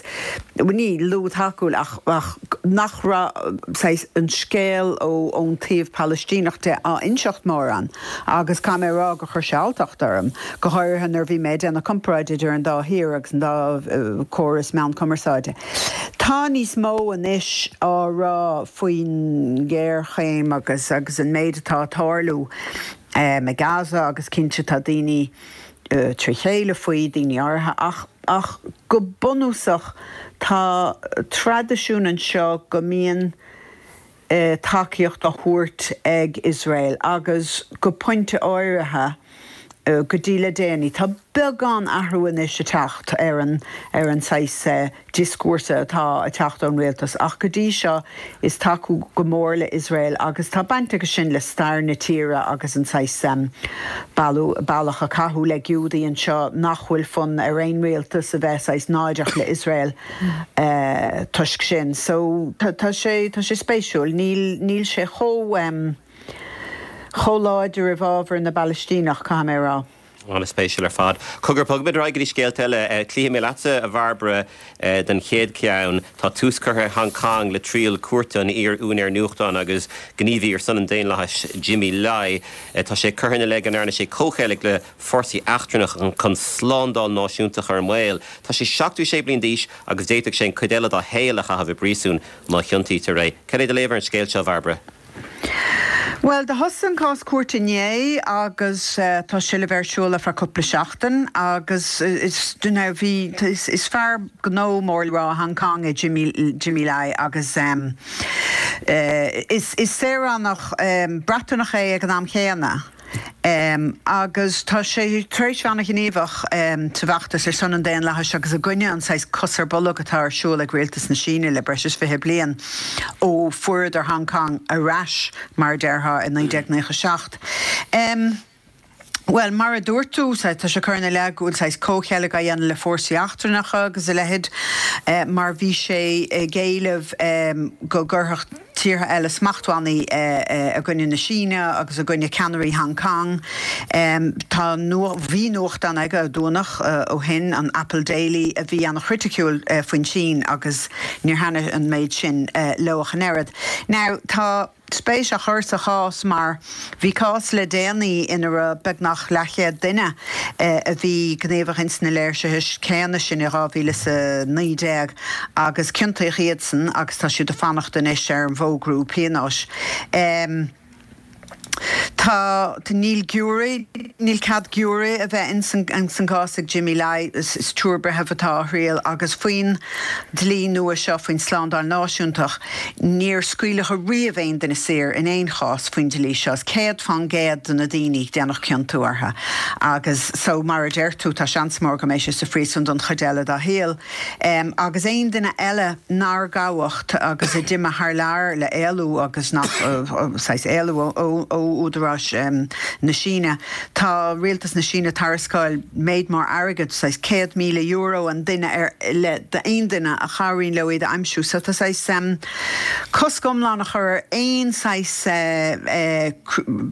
ní lú tacú ach ach nach raibh saghas an scéal ó ón taobh Palaistíneach de á inseacht mórán agus caithfidh mé a rá gur chuir sé alltacht orm, go háirithe nuair a bhí mé ag déanamh comparáid idir an dá thír agus an dá córas meán cumarsáide. Tá níos mó anois á rá faoin ghéarchéim agus agus an méid atá ag tarlú i Gaza agus cinnte tá daoine trí chéile faoi, daoine áirithe, ach ach go bunúsach tá traidisiún anseo go mbíonn tacaíocht á thabhairt ag Iosrael agus go pointe áirithe go dtí le déanaí. Tá beagán athrú anois ag teacht ar an ar an saghas dioscúrsa atá ag teacht ón rialtas ach go dtí seo is tacú go mór le Iosrael agus tá baint aige sin le stair na tíre agus an saghas bealach a caitheadh le Giúdaigh anseo nach bhfuil fonn ar aon rialtas a bheith saghas náireach le Iosrael toisc sin. So tá sé tá sé spéisiúil, níl níl sé chomh chomh láidir i bhfabhar na bPalaistíneach, caithfidh mé a rá. An-spéisiúil ar fad. Cogar, bogfaimid ar aghaidh go dtí scéalta eile. Cloífidh mé leatsa, a Bhairbre, don chéad cheann. Tá tús curtha i Hong Kong le triail cúirte an iar-úinéir nuachtáin agus gníomhaí ar son an daonlathais, Jimmy Lai. Tá sé curtha ina leith go ndearna sé comhcheilg le fórsaí eachtrannacha chun slándáil náisiúnta a chur i mbaol. Tá sé seachtó sé bliain d'aois agus d'fhéadfadh sé an chuid eile dá shaol a chaitheamh i bpríosún má chiontaítear é. Cad é do léamh ar an scéal seo, a Bhairbre? Bhuel, do thosaigh an cás cúirte inné agus tá sé le bheith ar siúl ar feadh cúpla seachtain agus is duine bhí, is fear gnó mór le rá i Hong Kong é Jimmy, Jimmy Lai agus is, is saoránach Breataineach é ag an am chéanna. Agus tá sé tar éis bheith an-ghníomhach sa bhfeachtas ar son an daonlathais agus i gcoinne an saghas cos ar bolg atá ar siúl ag rialtas na Síne le breis is fiche bliain ó fuaireadar Hong Kong ar ais, mar a déarfá, i naoi déag naocha seacht. Bhuel, mar a dúirt tú, tá sé curtha ina leith go bhfuil saghas comhcheilg á dhéanamh le fórsaí eachtrannacha agus a leithéid, mar bhí sé ag éileamh go gcuirfeadh tíortha eile smachtbhannaí i gcoinne na Síne agus i gcoinne ceannairí Hong Kong. Tá bhí nuachtán aige a dúnadh ó shin, an Apple Daily, a bhí an-chriticiúil faoin tSín agus níor thaitnigh an méid sin leo ach an oiread. Now tá spéis á chur sa chás mar bhí cás le déanaí ina raibh beagnach leathchéad duine a bhí gníomhach ins na léirsithe céanna sin i dhá mhíle is a naoi déag agus ciontaíodh iadsan agus tá siad ag fanacht anois ar an bhfógrú pionóis. Tá, níl giúiré, níl cead giúiré a bheith ins an gcás ag Jimmy Lai, is triúr breitheamh atá á thriail agus faoin dlí nua seo faoin tslándáil náisiúntach, níor scaoileadh riamh aon duine saor in aon chás faoin dlí seo. Is céad fán gcéad de na daoine déanadh ciontú orthu agus so mar a deir tú tá seans mór go mbeidh sé sa phríosún don chuid eile dá shaol. Agus aon duine eile nár gabhadh agus a d'imigh thar lear le éalú agus nach saghas éalú ó údaráis na Síne. Tá rialtas na Síne ag tairisceáil méid mór airgid, saghas céad míle euro an duine ar le d'aon duine a chabhraíonn leo iad a aimsiú. So tá saghas cosc iomlán a chur ar aon saghas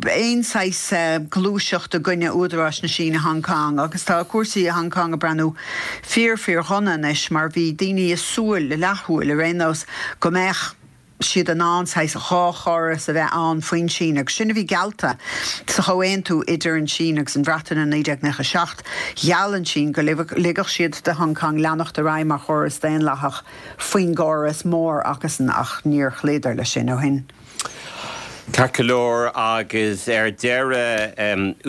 aon saghas gluaiseacht i gcoinne údaráis na Síne Hong Kong agus tá cúrsaí i Hong Kong ag breathnú fíor fíor dhona anois mar bhí daoine ag súil, leathshúil ar aon nós, go mbeadh siad in ann saghas dhá chóras a bheith ann faoin tSín agus sin a bhí geallta sa chomhaontú idir an tSín agus an Bhreatain in naoi déag nócha a seacht. Gheall an tSín go ligfeadh siad do Hong Kong leanacht ar aghaidh mar chóras daonlathach faoin gcóras mór acusan ach níor chloíodar leis sin ó shin. Ceart go leor agus ar deireadh,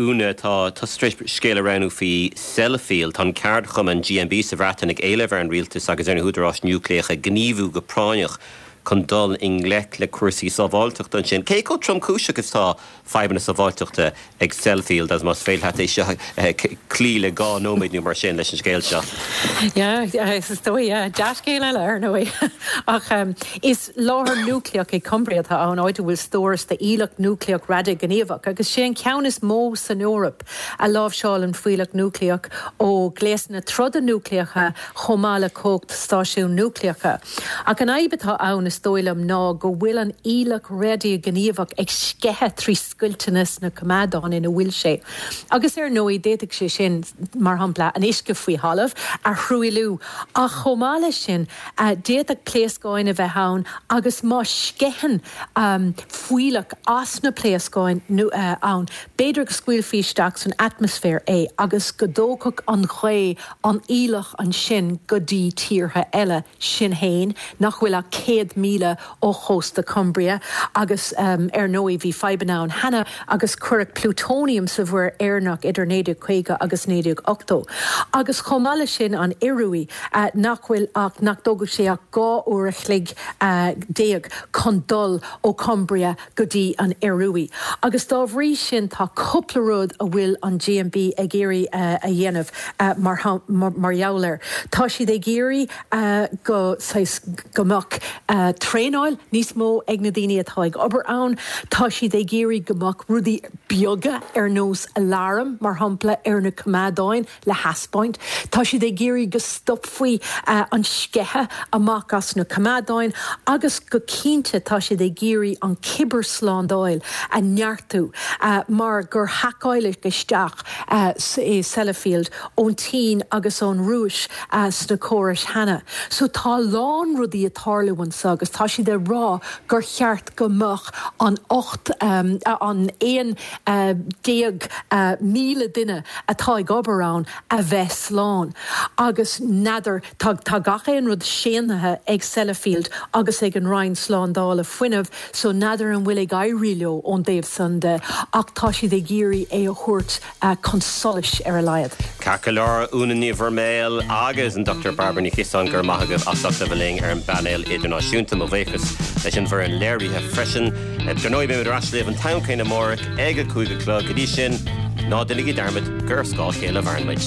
Úna, tá tusa tar éis scéal a roghnú faoi Sellafield. Tá an ceardchumann G M B sa Bhreatain ag éileamh ar an rialtas agus ar na húdaráis núicléacha gníomhú go práinneach chun dul i ngleic le cúrsaí sábháilteachta ansin. Cé chomh tromchúiseach is atá fadhbanna sábháilteachta ag Sellafield agus más féidir leat é seo a chloí le dhá nóiméad nó mar sin leis an scéal seo? Yeah, is dóigh, yeah, dea-scéal eile ar ndóigh. Ach is láthair núicléach i Cumbria atá ann, áit a bhfuil stóras de fhuílleach núicléach radaighníomhach, agus sé an ceann is mó san Eoraip a láimhseálann fuílleach núicléach ó ghléasanna troda núicléacha chomh maith le cumhacht stáisiúin núicléacha. Ach an fhadhb atá ann, is dóigh liom, ná go bhfuil an fhuílleach radaighníomhach ag sceitheadh trí scoilteanna sna coimeádáin ina bhfuil sé. Agus ar ndóigh, d'fhéadfadh sé sin, mar shampla, an uisce faoi thalamh a thruailliú. Ach chomh maith leis sin, d'fhéadfadh pléascáin a bheith ann agus má sceitheann fuílleach as na pléascáin ann, b'fhéidir go scaoilfí isteach san atmaisféar é agus go dtógfadh an ghaoth an fhuílleach ansin go dtí tíortha eile, sin féin, nach bhfuil ach céad míle ó chósta Cumbria agus ar ndóigh bhí fadhbanna ann cheana agus cuireadh plútóiniam sa Mhuir Éireannach idir naoi déag caoga agus naoi déag ochtó. Agus chomh maith leis sin an Ioruaidh nach bhfuil ach, nach dtógfadh sé ach dhá uair a chloig déag chun dul ó Cumbria go dtí an Ioruaidh. Agus dá bhrí sin tá cúpla rud a bhfuil an G M B ag iarraidh a dhéanamh mar mar gheall air. Tá siad ag iarraidh go saghas go mbeadh traenáil níos mó ag na daoine atá ag obair ann. Tá siad ag iarraidh go mbeadh rudaí beaga ar nós aláram, mar shampla, ar na coimeádáin le thaispeáint. Tá siad ag iarraidh go stopfaí an sceitheadh amach as na coimeádáin agus go cinnte tá siad ag iarraidh an cibearshlándáil a neartú mar gur haiceáladh isteach i Sellafield ón tSín agus ón Rúis sna córais cheana. So tá a lán rudaí ag tarlú anseo agus tá siad ag rá gur cheart go mbeadh an ocht an aon déag míle duine atá ag obair ann a bheith slán. Agus n'fheadar, tá tá gach aon rud séantaithe ag Sellafield agus ag an Roinn Slándála Fuinnimh so n'fheadar an bhfuil ag éirí leo ón dtaobh san de ach tá siad ag iarraidh é a thabhairt chun solais ar a laghad. Ceart go leor, Úna Ní Bhroiméil agus an Dochtúir Bairbre Ní Chiosáin, go raibh maith agaibh as ucht a bheith linn ar an bpainéal idirnáisiúnta. Mo bhuíochas leis an bhfoireann léirithe freisin. Dar ndóigh beimid ar ais libh an t-am céanna amárach ag a cúig a chlog. Go dtí sin, ná déanaigí dearmad gur ar scáth a chéile a mhaireann muid.